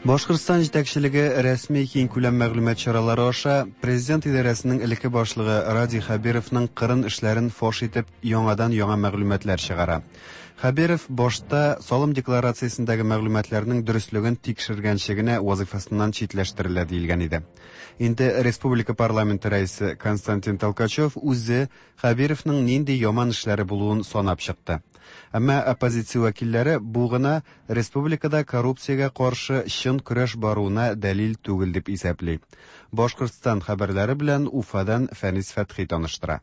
Башкортстан җитәкчелеге рәсми киңкүләм мәгълүмат чаралары аша президент идарәсенең элекке башлыгы Радий Хәбировның кырын эшләрен фаш итеп яңадан-яңа мәгълүматлар чыгара. Хәбиров башта салым декларациясендәге мәгълүматларның дөреслеген тикшергәнче генә вазыйфасыннан читләштерелә диелгән иде. Инде республика парламенты рәисе Константин Толкачев үзе Хәбировның нинди яман эшләре булуын санап чыкты. Әмма оппозиция вәкилләре бу гына республикада коррупциягә каршы чын көрәш баруына дәлил түгел дип исәпли. Башкортстан хәбәрләре белән Уфадан Фәнис Фәтхи таныштыра.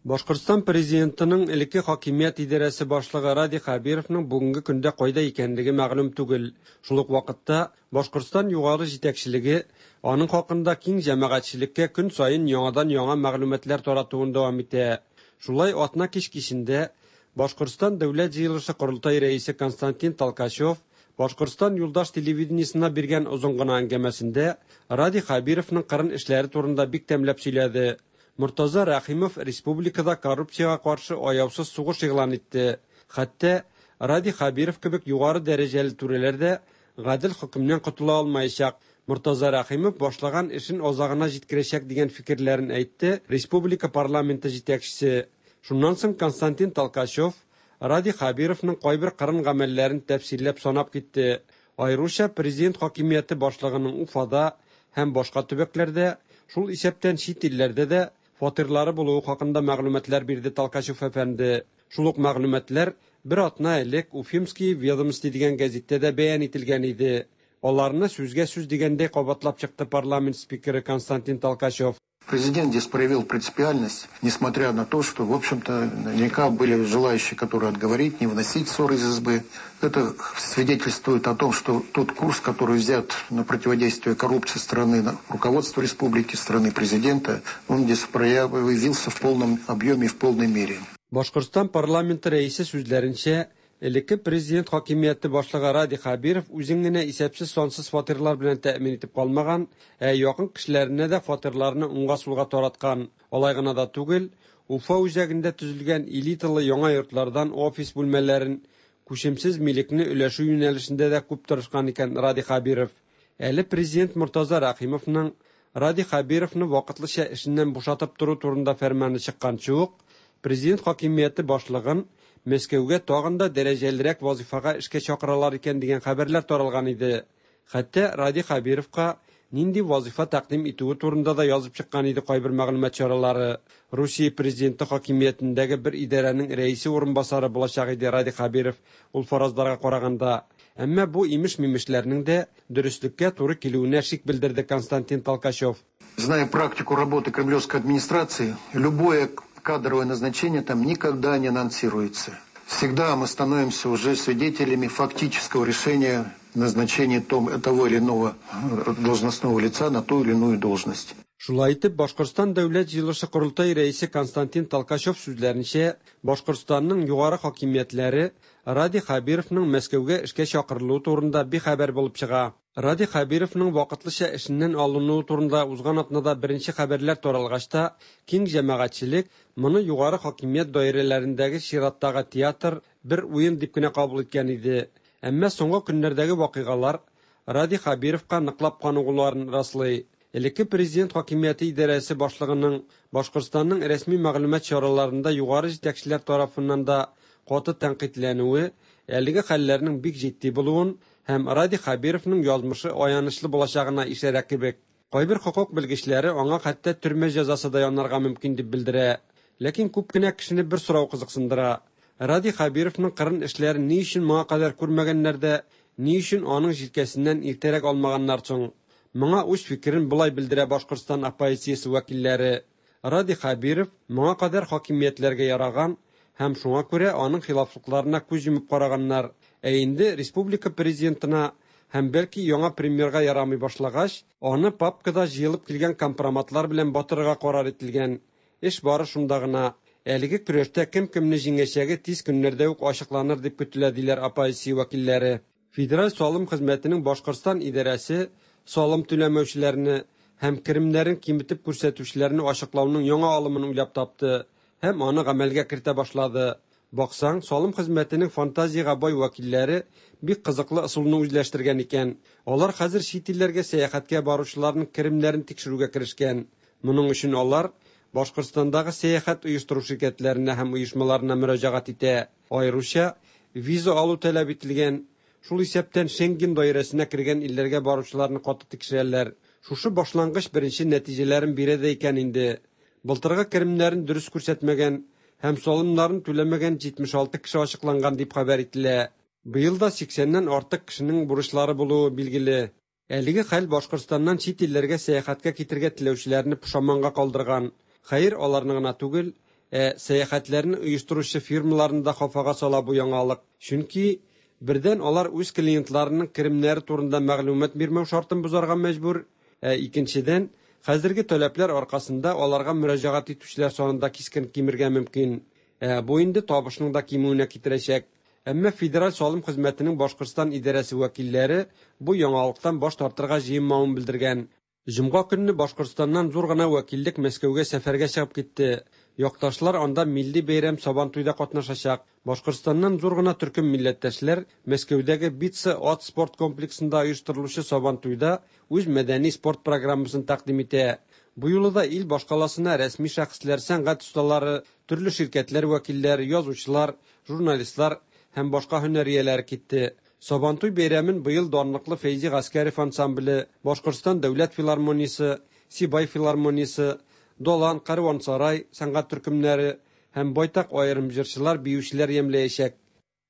Башкортстан президентының элекке хакимият идарәсе башлыгы Радий Хәбировның бүгенге көндә кайда икәнлеге мәгълүм түгел. Шул ук вакытта Башкортстан югары җитәкчелеге аның хакында киң җәмәгатьчелеккә көн саен яңадан-яңа мәгълүматлар таратуын дәвам итә. Шулай атна кич кичендә Башкортстан Дәүләт җыелышы корылтай рәисе Константин Толкачев Башкортстан юлдаш телевидениесына биргән озын гына әңгәмәсендә Радий Хәбировның кырын эшләре турында бик тәмләп сөйләде. Мортаза Рәхимов республикада коррупциягә каршы аяусыз сугыш игълан итте. Хәтта Радий Хәбиров кебек югары дәрәҗәле түрәләр дә гадел хөкемнән котыла алмаячак. Мортаза Рәхимов башлаган эшен азагына җиткерәчәк дигән фикерләрен әйтте республика парламенты җитәкчесе. Шуннан соң Константин Толкачев Радий Хәбировның кайбер кырын гамәлләрен тәфсилләп санап китте. Аеруча президент хакимияте башлыгының Уфада һәм башка төбәкләрдә, шул исәптән чит илләрдә дә фатирлары булуы хакында мәгълүматлар бирде Толкачев әфәнде. Шул ук мәгълүматлар бер атна элек Уфимские ведомости дигән гәзиттә дә бәян ителгән иде. Аларны сүзгә сүз дигәндәй кабатлап чыкты парламент спикеры Константин Толкачев. Президент здесь проявил принципиальность, несмотря на то, что, в общем-то, наверняка были желающие, которые отговорить, не выносить ссоры из избы. Это свидетельствует о том, что тот курс, который взят на противодействие коррупции страны, на руководство республики, страны президента, он здесь проявился в полном объеме и в полной мере. Башкортстан парламенты рәисе сүзләренчә, элекке президент хакимияте башлыгы Радий Хәбиров үзен генә исәпсез сансыз фатирлар белән тәэмин итеп калмаган, ә якын кешеләренә дә фатирларны уңга-сулга тараткан. Алай гына да түгел, Уфа үзәгендә төзелгән элиталы яңа йортлардан офис бүлмәләрен, күчемсез милекне өләшү юнәлешендә дә күп тырышкан икән Радий Хәбиров. Әле президент Мортаза Рәхимовның Радий Хәбировны вакытлыча эшеннән бушатып тору турында фәрманы чыкканчы ук, президент хакимияте башлыгын Мәскәүгә тагын да дәрәҗәлерәк вазифага эшкә чакыралар икән дигән хәбәрләр таралган иде. Хәтта Радий Хәбировка нинди вазифа тәкъдим итүе турында да язып чыккан иде кайбер мәгълүмат чаралары. Русия президенты хакимиятендәге бер идарәнең рәисе урынбасары булачак иде Радий Хәбиров ул фаразларга караганда. Әмма бу имеш-мимешләрнең дә дөреслеккә туры килүенә шик белдерде Константин Толкачев. Зная практику работы кремлевской администрации, любое кадровое назначение там никогда не анонсируется. Всегда мы становимся уже свидетелями фактического решения назначения того или иного должностного лица на ту или иную должность. Шулай итеп, Башкортстан Дәүләт җыелышы-Корылтай рәисе Константин Толкачев сүзләренчә, Башкортстанның югары хакимиятләре Радий Хәбировның Мәскәүгә эшкә чакырылуы турында бихәбәр булып чыга. Радий Хәбировның вакытлыча эшеннән алынуы турында узган атнада беренче хәбәрләр таралгач та, киң җәмәгатьчелек моны югары хакимият даирәләрендәге чираттагы театр, бер уен дип кенә кабул иткән иде. Әмма соңгы көннәрдәге вакыйгалар Радий Хәбировка ныклап каныгуларын раслый. Элекке президент хакимияте идарәсе башлыгының Башкортстанның рәсми мәгълүмат чараларында югары җитәкчеләр тарафыннан да каты тәнкыйтьләнүе әлеге хәлләрнең бик җитди булуын һәм Радий Хәбировның язмышы аянычлы булачагына ишарә кебек. Кайбер хокук белгечләре аңа хәтта төрмә җәзасы да янарга мөмкин дип белдерә. Ләкин күп кенә кешене бер сорау кызыксындыра. Радий Хәбировның кырын эшләрен ни өчен моңа кадәр күрмәгәннәр дә, ни өчен аның җилкәсеннән иртәрәк алмаганнар соң? Моңа үз фикерен болай белдерә Башкортстан оппозициясе вәкилләре. Радий Хәбиров моңа кадәр хакимиятләргә яраган һәм шуңа күрә аның хилафлыкларына күз йомып караганнар. Ә инде республика президентына һәм бәлки яңа премьерга ярамый башлагач, аны папкада җыелып килгән компроматлар белән батырырга карар ителгән. Эш бары шунда гына. Әлеге көрәштә кем кемне җиңәчәге тиз көннәрдә үк ачыкланыр дип көтелә, диләр оппозиция вәкилләре. Федераль салым хезмәтенең Башкортстан идарәсе салым түләмәүчеләрне һәм керемнәрен киметеп күрсәтүчеләрне ачыклауның яңа алымын уйлап тапты һәм аны гамәлгә кертә башлады. Баксаң, салым хезмәтенең фантазиягә бай вәкилләре бик кызыклы ысулны үзләштергән икән. Алар хәзер чит илләргә сәяхәткә баручыларның керемнәрен тикшерүгә керешкән. Моның өчен алар Башкортстандагы сәяхәт оештыру ширкәтләренә һәм оешмаларына мөрәҗәгать итә. Аеруча виза алу таләп ителгән, шул исәптән Шенген даирәсенә кергән илләргә баручыларны каты тикшерәләр. Шушы башлангыч беренче нәтиҗәләрен бирә дә икән инде. Былтыргы керемнәрен дөрес күрсәтмәгән һәм салымнарын түләмәгән 76 кеше ачыкланган дип хәбәр ителә. Быел да 80-нән артык кешенең бурычлары булуы билгеле. Әлеге хәл Башкортстаннан чит илләргә сәяхәткә китергә теләүчеләрне пошаманга калдырган. Хәер, аларны гына түгел, ә сәяхәтләрне оештыручы фирмаларны да хафага сала бу яңалык. Чөнки бердән алар үз клиентларының керемнәре турында мәгълүмат бирмәү шартын бозарга мәҗбүр, ә икенчедән, хәзерге таләпләр аркасында аларга мөрәҗәгать итүчеләр саны да кискен кимергә мөмкин. Ә бу инде табышның да кимүенә китерәчәк. Әмма Федераль салым хезмәтенең Башкортстан идарәсе вәкилләре бу яңалыктан баш тартырга җыенмавын белдергән. Җомга көнне Башкортстаннан зур гына вәкиллек Мәскәүгә сәфәргә чыгып китте. Якташлар анда милли бәйрәм Сабантуйда катнашачак. Башкортстаннан зур гына төркем милләттәшләр Мәскәүдәге Битца ат спорт комплексында оештырылучы Сабантуйда үз мәдәни спорт программасын тәкъдим итә. Бу юлы да ил башкаласына рәсми шәхесләр, сәнгать осталары, төрле ширкәтләр вәкилләре, язучылар, журналистлар һәм башка һөнәр ияләре китте. Сабантуй бәйрәмен быел данлыклы Фәйзи Гаскәров ансамбле, Башкортстан дәүләт филармониясе, Сибай филармониясе, Долан, Кәрвансарай сәнгать төркемнәре һәм байтак аерым җырчылар, биючеләр ямьләячәк.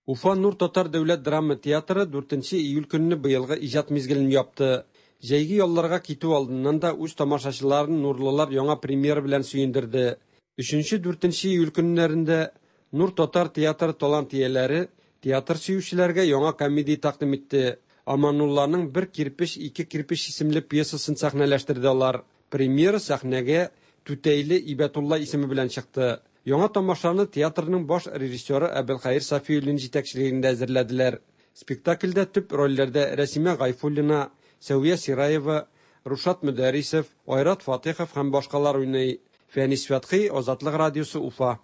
Уфа Нур татар дәүләт драма театры 4 июль көнне быелгы иҗат мизгелен япты. Җәйге ялларга китү алдыннан да үз тамашачыларын нурлылар яңа премьера белән сөендерде. 3-4 июль көннәрендә Нур татар театры талант ияләре театр сөючеләргә яңа комедия тәкъдим итте. Аманулланың Бер кирпеч, ике кирпеч исемле пьесасын сәхнәләштерде алар. Премьера сәхнәгә Түтәйле Ибәтулла исеме белән чыкты. Яңа тамашаны театрның баш режиссеры Әбелхәер Сафиуллин җитәкчелегендә әзерләделәр. Спектакльдә төп рольләрдә Рәсимә Гайфуллина, Сәвия Сираева, Рушат Мөдәрисов, Айрат Фатыйхов һәм башкалар уйный. Фәнис Фәтхи, Азатлык радиосы, Уфа.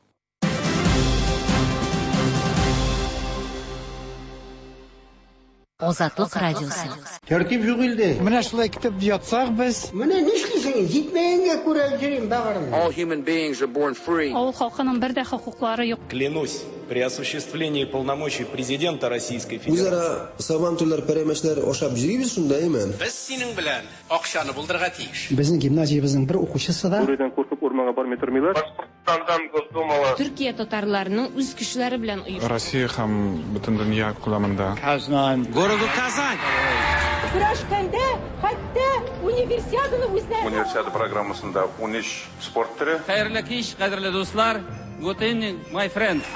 Азатлык радиосы. Тәртип юк илдә. Менә шулай көтеп ятсак без. Менә нишлисең, җитмәгәнгә күрә йөрим бәгырем. All human beings are born free. Авыл халкының бер дә хокуклары юк. Клянусь, при осуществлении полномочий президента Российской Федерации. Үзара сабантуйлар, пәрәмәчләр ашап йөрибез шунда, әйме? Без синең белән акчаны булдырырга тиеш. Безнең гимназиябезнең бер укучысы да. Бүредән куркып урманга бармый тормыйлар. Башкортстандан Госдумала. Төркия татарларының үз көчләре белән оештырды. Россия һәм бөтен дөнья күләмендә. Казан. Городу Казань. Көрәшкәндә хәтта универсиаданы үзләре. Универсиада программасында 13 спорт төре. Хәерле кич, кадерле дуслар. Good evening, my friends.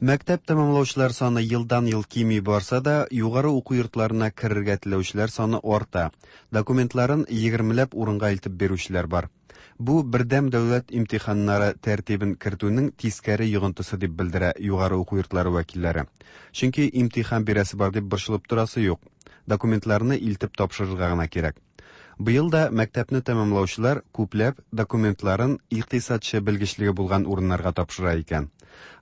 Мәктәп тәмамлаучылар саны елдан-ел кими барса да, югары уку йортларына керергә теләүчеләр саны арта. Документларын егермеләп урынга илтеп бирүчеләр бар. Бу бердәм дәүләт имтиханнары тәртибен кертүнең тискәре йогынтысы дип белдерә югары уку йортлары вәкилләре. Чөнки имтихан бирәсе бар дип борчылып торасы юк. Документларны илтеп тапшырырга гына кирәк. Быел да мәктәпне тәмамлаучылар күпләп документларын икътисадчы белгечлеге булган урыннарга тапшыра икән.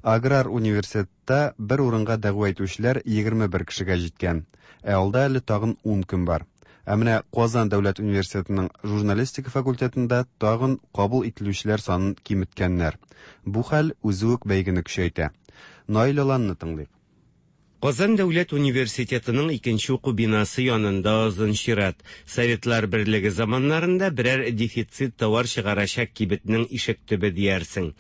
Аграр университетта бер урынга дәгъва итүчеләр 21 кешегә җиткән. Ә алда әле тагын 10 көн бар. Ә менә Казан дәүләт университетының журналистика факультетында тагын кабул ителүчеләр санын киметкәннәр. Бу хәл үзе үк бәйгене көчәйтә. Наил Аланны тыңлыйк. Казан дәүләт университетының икенче уку бинасы янында озын чират. Советлар берлеге заманнарында берәр дефицит товар чыгарачак кибетнең ишек төбе диярсең.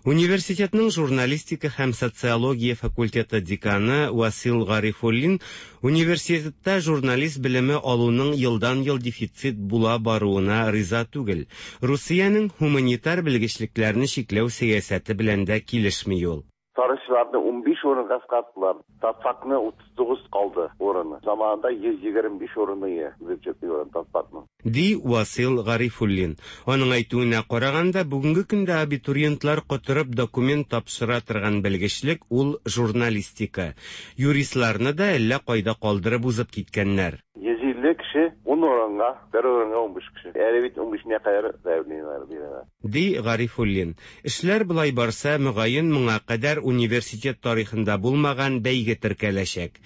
Университетның журналистика һәм социология факультеты деканы Васил Гарифуллин университетта журналист белеме алуның елдан-ел дефицит була баруына риза түгел. Русиянең һуманитар белгечлекләрне чикләү сәясәте белән дә килешми ул. Тарихчыларны 15 урынга кыскарттылар. Татфакны 39 калды урыны. Заманында 125 урыны ие бюджетный урын татфакның. Ди Васил Гарифуллин. Аның әйтүенә караганда, бүгенге көндә абитуриентлар котырып документ тапшыра торган белгечлек ул журналистика. Юристларны да әллә кайда калдырып узып киткәннәр. 150 кеше 10 урынга, бер урынга 15 кеше. Әле бит 15-нә кадәр заявлениеләр бирәләр. Ди Гарифуллин. Эшләр болай барса, мөгаен моңа кадәр университет тарихында булмаган бәйге теркәләчәк.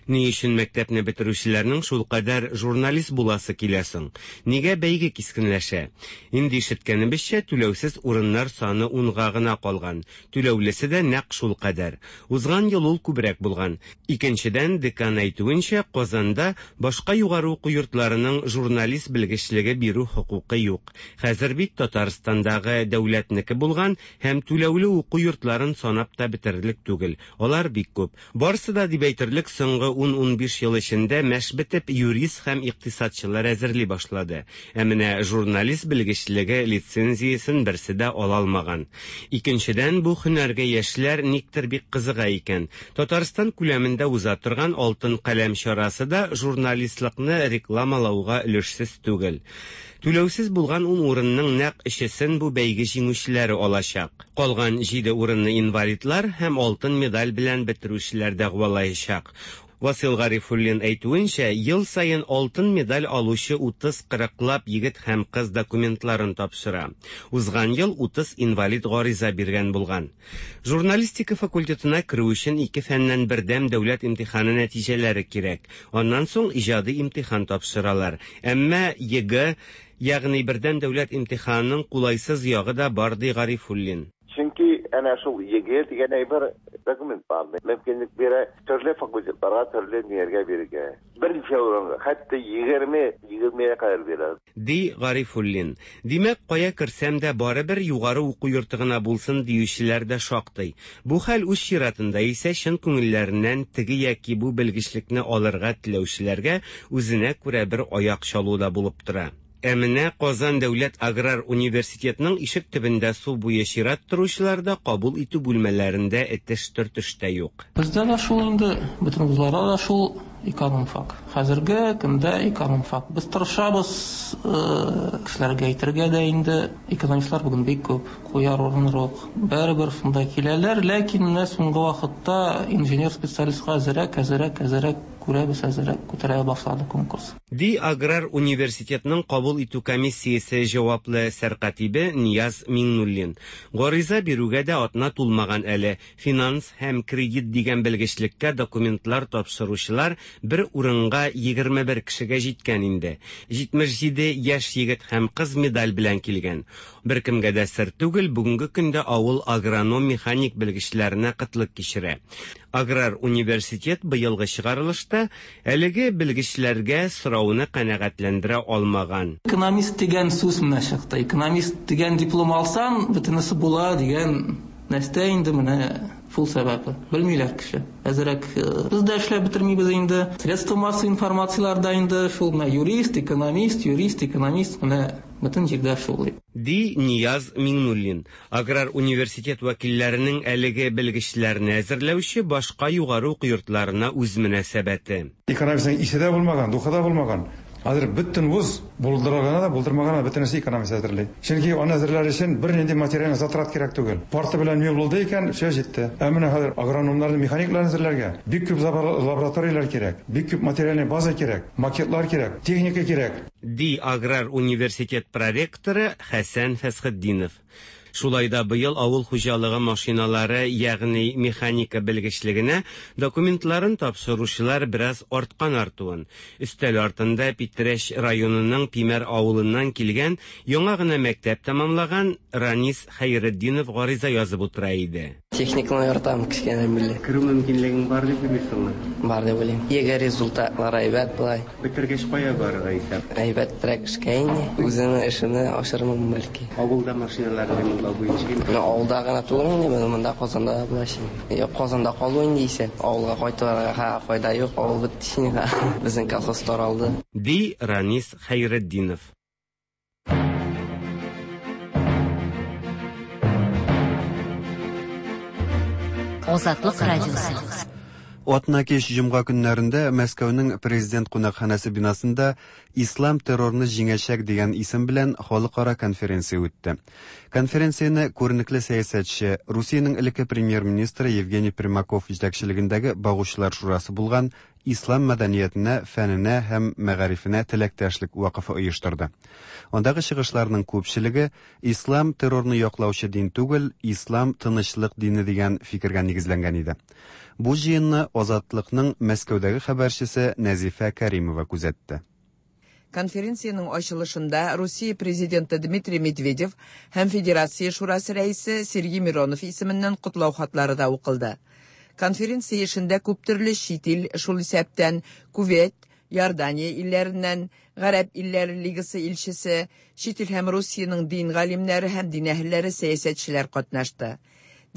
Ни өчен мәктәпне бетерүчеләрнең шулкадәр журналист буласы килә соң? Нигә бәйге кискенләшә? Инде ишеткәнебезчә, түләүсез урыннар саны унга гына калган. Түләүлесе дә нәкъ шулкадәр. Узган ел ул күбрәк булган. Икенчедән, декан әйтүенчә, Казанда башка югары уку йортларының журналист белгечлеге бирү хокукы юк. Хәзер бит Татарстандагы дәүләтнеке булган һәм түләүле уку йортларын санап та бетерерлек түгел. Алар бик күп. Барысы да дип әйтерлек соңгы 10-15 ел эчендә мәш бетеп юрист һәм икътисадчылар әзерли башлады. Ә менә журналист белгечлеге лицензиясен берсе дә ала алмаган. Икенчедән, бу һөнәргә яшьләр никтер бик кызыга икән. Татарстан күләмендә уза торган Алтын каләм чарасы да журналистлыкны рекламалауга өлешсез түгел. Түләүсез булган ун урынның нәкъ өчесен бу бәйге җиңүчеләре алачак. Калган җиде урынны инвалидлар һәм алтын медаль белән бетерүчеләр дәгъвалаячак. Васил Гарифуллин әйтүенчә, ел саен алтын медаль алучы 30-40лап егет һәм кыз документларын тапшыра. Узган ел 30 инвалид гариза биргән булган. Журналистика факультетына керү өчен ике фәннән бердәм дәүләт имтиханы нәтиҗәләре кирәк. Аннан соң иҗади имтихан тапшыралар. Әмма ЕГЭ, ягъни бердәм дәүләт имтиханының кулайсыз ягы да бар, ди Гарифуллин. Чөнки әнә шул ЕГЭ дигән әйбер документларны мөмкинлек бирә төрле факультетларга, төрле ниләргә бирергә. Берничә урынга, хәтта 20, 20-гә кадәр бирә. Ди Гарифуллин. Димәк, кая керсәм дә барыбер югары уку йорты гына булсын диючеләр дә шактый. Бу хәл үз чиратында исә чын күңелләреннән теге яки бу белгечлекне алырга теләүчеләргә үзенә күрә бер аяк чалу да булып тора. Ә менә Казан дәүләт аграр университетының ишек төбендә су буе чират торучылар да кабул итү бүлмәләрендә этеш-төртеш тә юк. Бездә дә шул инде, бөтен вузларда да шул экономфак. Хәзерге көндә экономфак. Без тырышабыз кешеләргә әйтергә дә инде, экономистлар бүген бик күп, куяр урын юк. Барыбер шунда киләләр, ләкин менә соңгы вакытта инженер специалистка әзерәк, әзерәк, әзерәк күрәбез, әзерәк күтәрә башлады конкурс. Ди аграр университетның кабул итү комиссиясе җаваплы сәркатибе Нияз Миңнуллин. Гариза бирүгә дә атна тулмаган әле. Финанс һәм кредит дигән белгечлеккә документлар тапшыручылар бер урынга 21 кешегә җиткән инде. 77 яшь егет һәм кыз медаль белән килгән. Беркемгә дә сер түгел, бүгенге көндә авыл агроном-механик белгечләренә кытлык кичерә. Аграр университет быелгы чыгарылышта әлеге белгечләргә сорауны канәгатьләндерә алмаган. Экономист дигән сүз менә чыкты. Экономист дигән диплом алсаң, бөтенесе була дигән нәрсә инде менә шул сәбәпле. Белмиләр кеше. Әзерәк без дә эшләп бетермибез инде. Средства массовой информацияләрдә инде шул менә юрист, экономист, юрист, экономист менә Бөтен җирдә шул дип. Ди Нияз Миңнуллин. Аграр университет вәкилләренең әлеге белгечләрне әзерләүче башка югары уку йортларына үз мөнәсәбәте. Экономистның исе дә булмаган, духы да булмаган. Хәзер бөтен вуз булдырганы да, булдырмаганы да бөтенесе экономист әзерли. Чөнки аны әзерләр өчен бернинди материаль затрат кирәк түгел. Парта белән мул булды икән, все җитте. Ә менә хәзер агрономнарны, механикларны әзерләргә бик күп лабораторияләр кирәк, бик күп материальный база кирәк, макетлар кирәк, техника кирәк. Ди аграр университет проректоры Хәсән Фәсхетдинов. Шулай да быел авыл хуҗалыгы машиналары, ягъни механика белгечлегенә документларын тапшыручылар бераз арткан артуын. Өстәл артында Питрәч районының Пимәр авылыннан килгән, яңа гына мәктәп тәмамлаган Ранис Хәйретдинов гариза язып утыра иде. Техниканы яратам кечкенәдән бирле. Керү мөмкинлегең бар дип уйлыйсыңмы? Бар дип уйлыйм. ЕГЭ результатлары әйбәт болай. Бетергәч кая барырга исәп? Әйбәтрәк эшкә инде. Үземнең эшемне ачырмын бәлки. Авылда машиналар ремонтлау буенча инде. Менә авылда гына түгел инде, менә монда Казанда да болай шин. Юк, Казанда калу инде исәп. Авылга кайтырга файда юк, авыл бетте инде. Безнең колхоз таралды. Ди Ранис Хәйретдинов. Азатлык радиосы. Атна кич җомга көннәрендә Мәскәүнең Президент кунакханәсе бинасында Ислам террорны җиңәчәк дигән исем белән халыкара конференция үтте. Конференцияне күренекле сәясәтче, Русиянең элекке премьер-министры Евгений Примаков җитәкчелегендәге Багучылар шурасы булган Ислам мәдәниятенә, фәненә һәм мәгарифенә теләктәшлек вакыфы оештырды. Андагы чыгышларның күпчелеге ислам террорны яклаучы дин түгел, ислам тынычлык дине дигән фикергә нигезләнгән иде. Бу җыенны Азатлыкның Мәскәүдәге хәбәрчесе Нәзифә Кәримова күзәтте. Конференциянең ачылышында Русия президенты Дмитрий Медведев һәм Федерация шурасы рәисе Сергей Миронов исеменнән котлау хатлары да укылды. Конференция эшендә күптөрле чит ил, шул исәптән Кувейт, Иордания илләреннән, Гарәп илләре лигасы илчесе, чит ил һәм Русиянең дин галимнәре һәм дин әһелләре, сәясәтчеләр катнашты.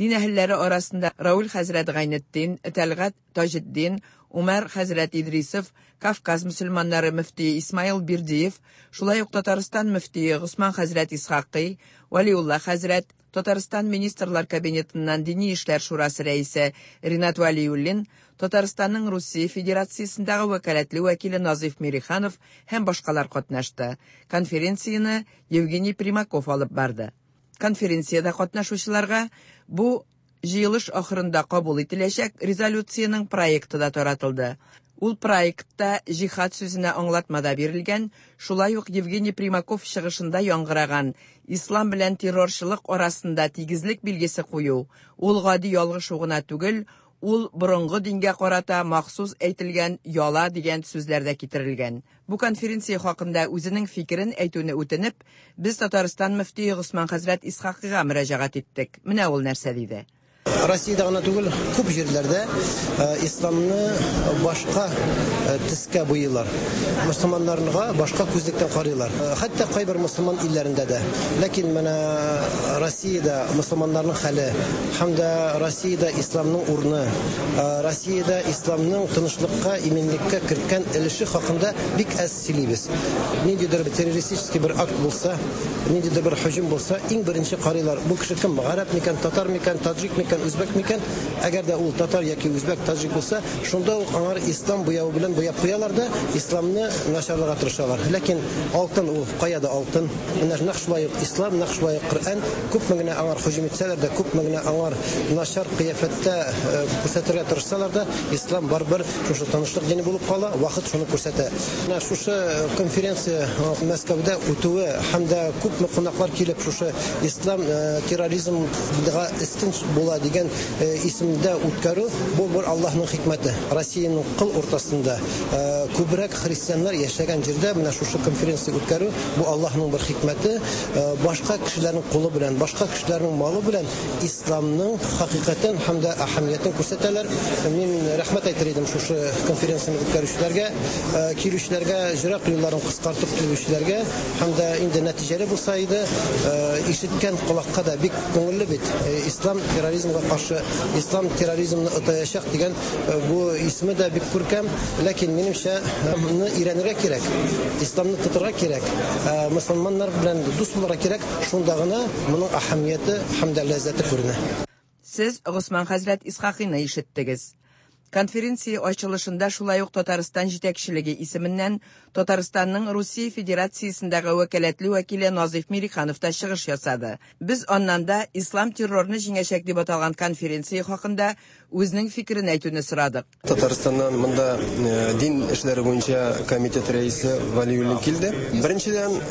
Дин әһелләре арасында Рауль хәзрәт Гайнетдин, Тәлгать Таҗетдин, Умар хәзрәт Идрисов, Кавказ мөселманнары мөфтие Исмаил Бирдиев, шулай ук Татарстан мөфтие Госман хәзрәт Исхакый, Вәлиулла хәзрәт, Татарстан Министрлар Кабинетыннан Дини эшләр шурасы рәисе Ринат Вәлиуллин, Татарстанның Русия Федерациясендәге вәкаләтле вәкиле Назыйф Мириханов һәм башкалар катнашты. Конференцияне Евгений Примаков алып барды. Конференциядә катнашучыларга бу җыелыш ахырында кабул ителәчәк резолюциянең проекты да таратылды. Ул проектта җихад сүзенә аңлатма да бирелгән, шулай ук Евгений Примаков чыгышында яңгыраган ислам белән террорчылык арасында тигезлек билгесе кую, ул гади ялгышу гына түгел, ул борынгы дингә карата махсус әйтелгән яла дигән сүзләр дә китерелгән. Бу конференция хакында үзенең фикерен әйтүне үтенеп, без Татарстан мөфтие Госман хәзрәт Исхакыйга мөрәҗәгать иттек. Менә ул нәрсә диде. Россиядә гына түгел, күп җирләрдә исламны башка төскә буйыйлар. Мөселманнарга башка күзлектән карыйлар. Хәтта кайбер мөселман илләрендә дә. Ләкин менә Россиядә мөселманнарның хәле һәм дә Россиядә исламның урыны, Россиядә исламның тынычлыкка, иминлеккә керткән өлеше хакында бик әз сөйлибез. Ниндидер террористический бер акт булса, ниндидер бер һөҗүм булса, иң беренче карыйлар, бу кеше кем, гарәп микән, татар микән, таҗик микән, үзбәк микән? Әгәр дә ул татар яки үзбәк, таҗик булса, шунда ук аңар ислам буявы белән буяп куялар да, исламны начарларга тырышалар. Ләкин алтын ул кая да алтын. Менә нәкъ шулай ук ислам, нәкъ шулай ук Коръән, күпме генә аңар һөҗүм итсәләр дә, күпме генә аңар начар кыяфәттә күрсәтергә тырышсалар да, ислам барыбер шушы тынычлык дине булып кала, вакыт шуны күрсәтә. Менә шушы конференция Мәскәүдә үтүе һәм дә күпме кунаклар килеп шушы ислам терроризмга өстен була дигән исемдә үткәрү, бу бер Аллаһның хикмәте. Россиянең кыл уртасында күбрәк христианнар яшәгән җирдә менә шушы конференция үткәрү, бу Аллаһның бер хикмәте. Башка кешеләрнең кулы белән, башка кешеләрнең малы белән исламның хакыйкатен һәм дә әһәмиятен күрсәтәләр. Мин рәхмәт әйтер идем шушы конференцияне үткәрүчеләргә, килүчеләргә, җырак юлларын кыскартып килүчеләргә һәм дә инде нәтиҗәле булса иде, ишеткән колакка да бик күңелле бит. Ислам терроризм терроризмга каршы, ислам терроризмны отаячак дигән бу исеме дә бик күркәм. Ләкин минемчә, моны өйрәнергә кирәк, исламны тотырга кирәк, мөселманнар белән дус булырга кирәк, шунда гына моның әһәмияте һәм дә ләззәте күренә. Сез Госман хәзрәт Исхакыйны ишеттегез. Конференция ачылышында шулай ук Татарстан җитәкчелеге исеменнән Татарстанның Русия Федерациясендәге вәкаләтле вәкиле Назыйф Мириханов та чыгыш ясады. Без аннан да Ислам террорны җиңәчәк дип аталган конференция хакында үзенең фикерен әйтүне сорадык. Татарстаннан монда дин эшләре буенча комитет рәисе Валиуллин килде. Беренчедән,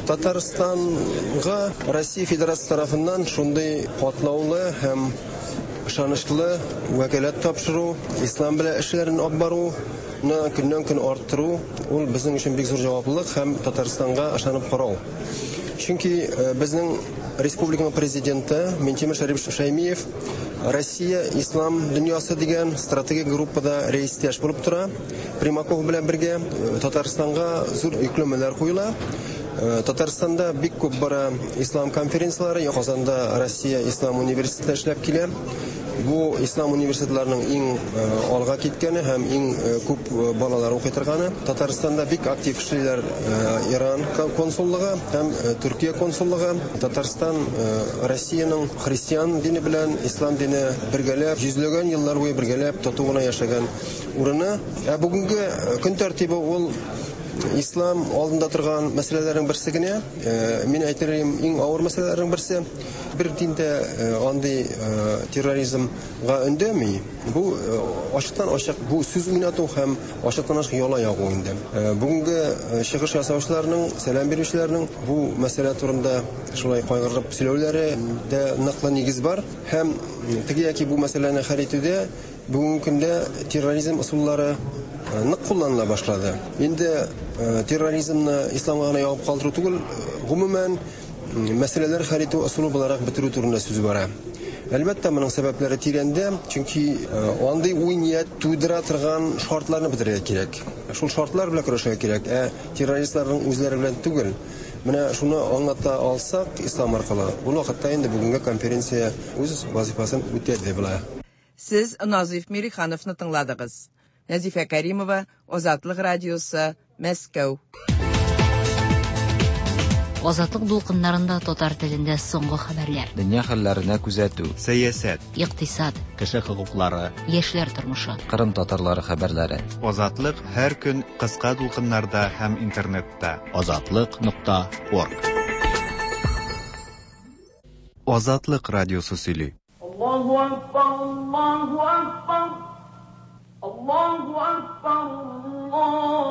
Татарстанга Россия Федерациясе тарафыннан шундый катлаулы һәм ышанычлы вәкаләт тапшыру, ислам белән эшләрен алып баруны көннән-көн арттыру, ул безнең өчен бик зур җаваплылык һәм Татарстанга ышанып карау. Чөнки безнең республиканың президенты Минтимер Шәрипович Шәймиев Россия ислам дөньясы дигән стратегик группада рәистәш булып тора. Примаков белән бергә Татарстанга зур йөкләмәләр куела. Татарстанда бик күп бара ислам конференцияләре, Казанда Россия ислам университеты эшләп килә. Бу ислам университетларының иң алга киткәне һәм иң күп балалар укый торганы. Татарстанда бик актив эшлиләр Иран консуллыгы һәм Төркия консуллыгы. Татарстан Россиянең христиан дине белән ислам дине бергәләп, йөзләгән еллар буе бергәләп тату гына яшәгән урыны. Ә бүгенге көн тәртибе ул ислам алдында торган мәсьәләләрнең берсе генә. Мин әйтер идем, иң авыр мәсьәләләрнең берсе. Бер дин дә андый терроризмга өндәми. Бу ачыктан-ачык бу сүз уйнату һәм ачыктан-ачык яла ягу инде. Бүгенге чыгыш ясаучыларның, сәлам бирүчеләрнең бу мәсьәлә турында шулай кайгырып сөйләүләре дә ныклы нигез бар. Һәм теге яки бу мәсьәләне хәл итүдә бүгенге көндә терроризм ысуллары нык кулланыла башлады. Инде терроризмны исламга гына ябып калдыру түгел, гомумән мәсьәләләр хәл итү ысулы буларак бетерү турында сүз бара. Әлбәттә, моның сәбәпләре тирәндә, чөнки андый уй-ният тудыра торган шартларны бетерергә кирәк. Шул шартлар белән көрәшергә кирәк, ә террористларның үзләре белән түгел. Менә шуны аңлата алсак ислам аркылы, ул вакытта инде бүгенге конференция үз вазифасын үтәде була. Сез Назыйф Мирихановны тыңладыгыз. Нәзифә Кәримова, Азатлык радиосы, Мәскәү. Азатлык дулкыннарында татар телендә соңгы хәбәрләр. Дөнья хәлләренә күзәтү. Сәясәт. Икътисад. Кеше хокуклары. Яшьләр тормышы. Кырым татарлары хәбәрләре. Азатлык һәр көн кыска дулкыннарда һәм интернетта. Азатлык нокта орг. Азатлык радиосы сөйли. Аллаһу акбар, Аллаһу акбар, Аллаһу акбар, Аллаһу акбар.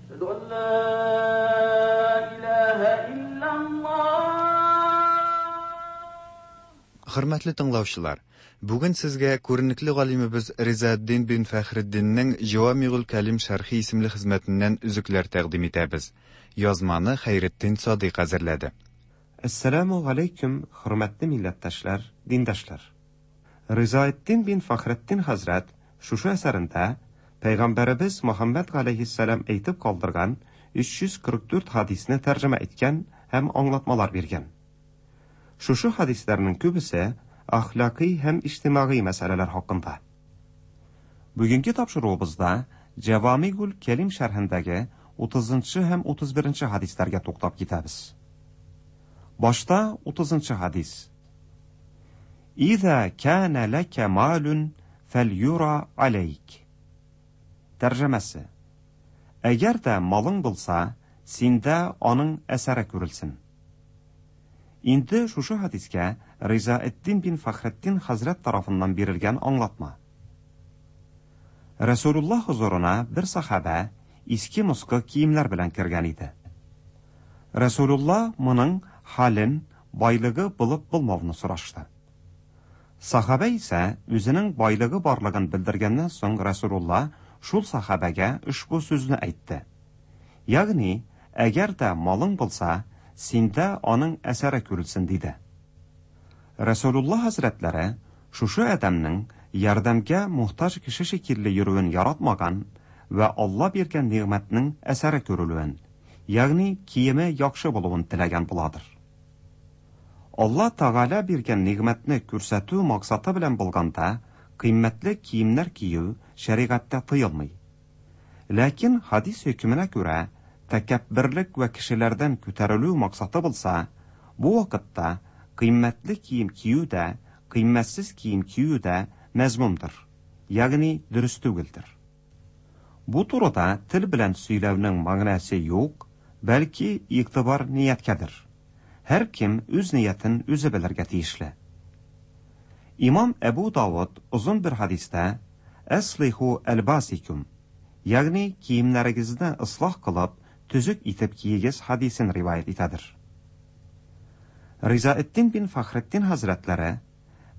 Әшһәду ан ла илаһа иллаллаһ. Хөрмәтле тыңлаучылар, бүген сезгә күренекле галимебез Ризаэддин бин Фәхретдиннең Җавамигуль Кәлим шәрхи исемле хезмәтеннән өзекләр тәкъдим итәбез. Язманы Хәйретдин Садыйк әзерләде. Әссәламү галәйкүм, хөрмәтле милләттәшләр, диндәшләр! Ризаэддин бин Фәхретдин хәзрәт шушы әсәрендә Пәйгамбәребез Мөхәммәд галәйһиссәлам әйтеп калдырган 344 хәдисне тәрҗемә иткән һәм аңлатмалар биргән. Шушы хәдисләрнең күбесе әхлакый һәм иҗтимагый мәсьәләләр хакында. Бүгенге тапшыруыбызда Җәвамигуль Кәлим шәрхендәге 30 нчы һәм 31 нче хәдисләргә туктап китәбез. Башта 30 нчы хәдис. Иза кана ләкә малун фәльюра алейк. Тәрҗемәсе. Әгәр дә малың булса, синдә аның әсәре күрелсен. Инде шушы хәдискә Ризаэддин бин Фәхретдин хәзрәт тарафыннан бирелгән аңлатма. Рәсүлуллаһ хозурына бер сахабә иске-москы киемнәр белән кергән иде. Рәсүлуллаһ моның хәлен, байлыгы булып-булмавны сорашты. Сахабә исә үзенең байлыгы барлыгын белдергәннән соң Рәсүлуллаһ шул сахабәгә ошбу сүзне әйтте. Ягъни, әгәр дә малың булса, синдә аның әсәре күрелсен, диде. Рәсүлулла хәзрәтләре шушы адәмнең ярдәмгә мохтаҗ кеше шикелле йөрүен яратмаган вә Алла биргән нигъмәтнең әсәре күрелүен, ягъни киеме яхшы булуын теләгән буладыр. Алла Тәгалә биргән нигъмәтне күрсәтү максаты белән булганда, кыйммәтле киемнәр кию шәригатьтә тыелмый. Ләкин хадис хөкеменә күрә, тәкәбберлек вә кешеләрдән күтәрелү максаты булса, бу вакытта кыйммәтле кием кию дә, кыйммәтсез кием кию дә мәзмүмдер, ягъни дөрес түгелдер. Бу турыда тел белән сөйләүнең мәгънәсе юк, бәлки игътибар нияткәдер. Һәркем үз ниятен үзе белергә тиешле. Имам Әбу Давыд озын бер хәдистә Әслиху әлбасикум, ягъни киемнәрегезне ислах кылып, төзек итеп киегез хәдисен риваять итәдер. Ризаэддин бин Фәхретдин хәзрәтләре,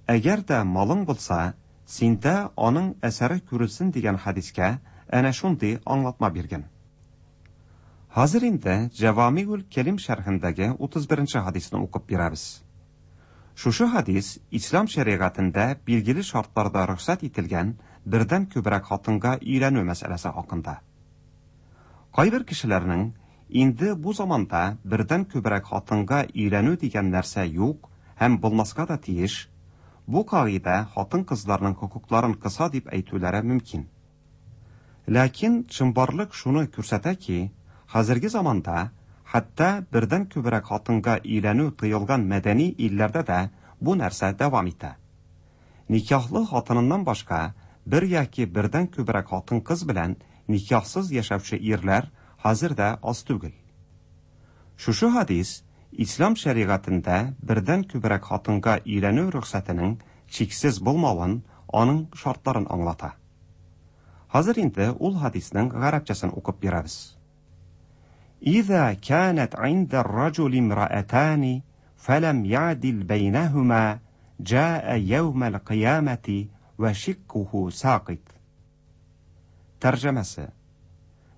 Әгәр дә малың булса, синдә аның әсәре күрелсен дигән хәдискә әнә шундый аңлатма биргән. Хәзер инде Җәвамигуль Кәлим шәрхендәге 31 нче хәдисне укып бирәбез. Шушы хәдис ислам шәригатендә билгеле шартларда рөхсәт ителгән бердән күбрәк хатынга өйләнү мәсьәләсе хакында. Кайбер кешеләрнең инде бу заманда бердән күбрәк хатынга өйләнү дигән нәрсә юк һәм булмаска да тиеш, бу кагыйдә хатын-кызларның хокукларын кыса дип әйтүләре мөмкин. Ләкин чынбарлык шуны күрсәтә ки, хәзерге заманда хәтта бердән күбрәк хатынга өйләнү тыелган мәдәни илләрдә дә бу нәрсә дәвам итә. Никахлы хатыныннан башка бер яки бердән күбрәк хатын-кыз белән никахсыз яшәүче ирләр хәзер дә аз түгел. Шушы хәдис ислам шәригатендә бердән күбрәк хатынга өйләнү рөхсәтенең чиксез булмавын, аның шартларын аңлата. Хәзер инде ул хәдиснең гарәпчәсен укып бирәбез. Иза канат инда ар-раҗули имраатани фалам ядил бәйнәһума җаа яумал кыямати вә шиккуху сакит. Тәрҗемәсе.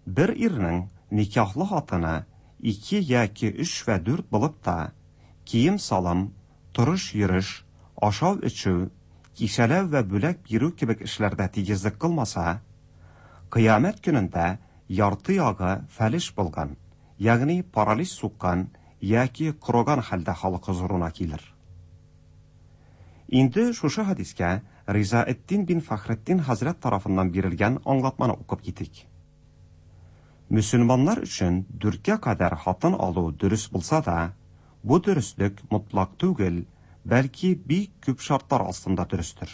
Бер ирнең никахлы хатыны ике яки өч вә дүрт булып та, кием-салым, торыш-йөреш, ашау-эчү, кичәләү вә бүләк бирү кебек эшләрдә тигезлек кылмаса, Кыямәт көнендә ярты ягы фәлеш булган, ягъни паралич суккан яки корыган хәлдә халык хозурына килер. Инде шушы хәдискә Ризаэддин бин Фәхретдин хәзрәт тарафыннан бирелгән аңлатманы укып китик. Мөселманнар өчен дүрткә кадәр хатын алу дөрес булса да, бу дөреслек мотлак түгел, бәлки бик күп шартлар астында дөрестер.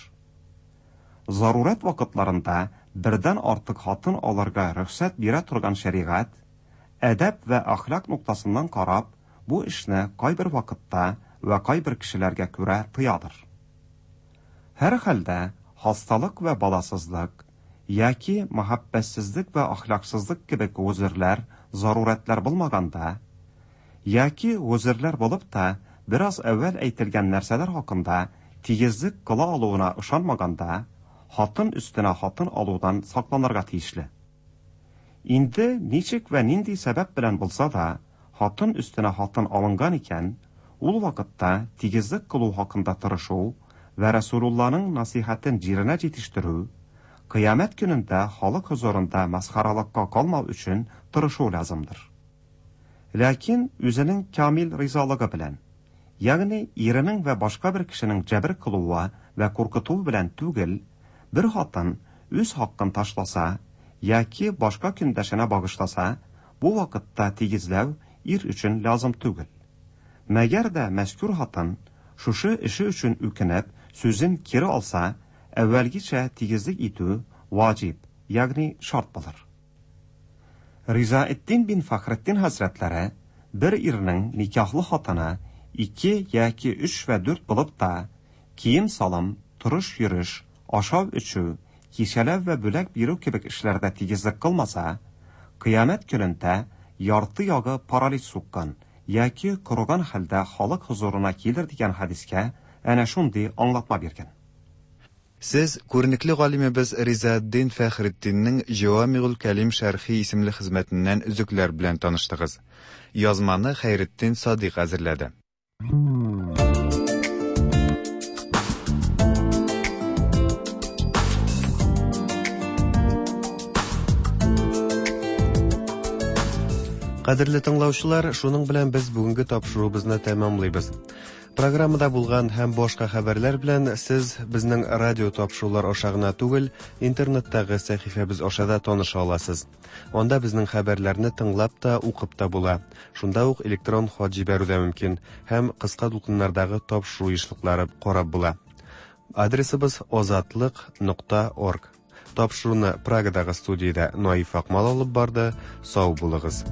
Зарурәт вакытларында бердән артык хатын алырга рөхсәт бирә торган шәригать, әдәп вә әхлак ноктасыннан карап, бу эшне кайбер вакытта вә кайбер кешеләргә күрә тыядыр. Һәрхәлдә, хасталык вә баласызлык, яки мәхәббәтсезлек вә әхлаксызлык кебек гозерләр, зарурәтләр булмаганда, яки гозерләр булып та, бераз әүвәл әйтелгән нәрсәләр хакында тигезлек кыла алуына ышанмаганда, хатын өстенә хатын алудан сакланырга тиешле. Инде ничек вә нинди сәбәп белән булса да, хатын өстенә хатын алынган икән, ул вакытта тигезлек кылу хакында тырышу вә Расулулланың насыйхәтен җиренә җитештерү, кыямәт көнендә халык хозурында мәсхәрәлыкка калмау өчен тырышу лязымдыр. Ләкин үзенең камил ризалыгы белән, ягъни иренең вә башка бер кешенең җәбер кылуы вә куркытуы белән түгел, бер хатын үз хакын ташласа яки башка көндәшенә багышласа, бу вакытта тигезләү ир өчен лязым түгел. Мәгәр дә мәзкүр хатын шушы эше өчен үкенеп, сүзен кире алса, әүвәлгечә тигезлек итү ваҗиб, ягъни шарт булыр. Ризаэддин бин Фәхретдин хәзрәтләре бер ирнең никахлы хатыны ике яки өч вә дүрт булып та, кием-салым, торыш-йөреш, ашау-эчү, кичәләү вә бүләк бирү кебек эшләрдә тигезлек кылмаса, кыямәт көнендә ярты ягы паралич суккан яки корыган хәлдә халык хозурына килер дигән хәдискә әнә шундый аңлатма биргән. Сез күренекле галимебез Ризаэддин Фәхретдиннең Җәвамигуль Кәлим шәрхи исемле хезмәтеннән өзекләр белән таныштыгыз. Язманы Хәйретдин Садыйк әзерләде. Кадерле тыңлаучылар, шуның белән без бүгенге тапшыруыбызны тәмамлыйбыз. Программада булган һәм башка хәбәрләр белән сез безнең радио тапшырулар аша гына түгел, интернеттагы сәхифәбез аша да таныша аласыз. Анда безнең хәбәрләрне тыңлап та, укып та була. Шунда ук электрон хат җибәрү дә мөмкин һәм кыска дулкыннардагы тапшыру ешлыклары карап була. Адресыбыз озатлык.орг. Тапшыруны Прагадагы студиядә Наиф Акмал алып барды. Сау булыгыз.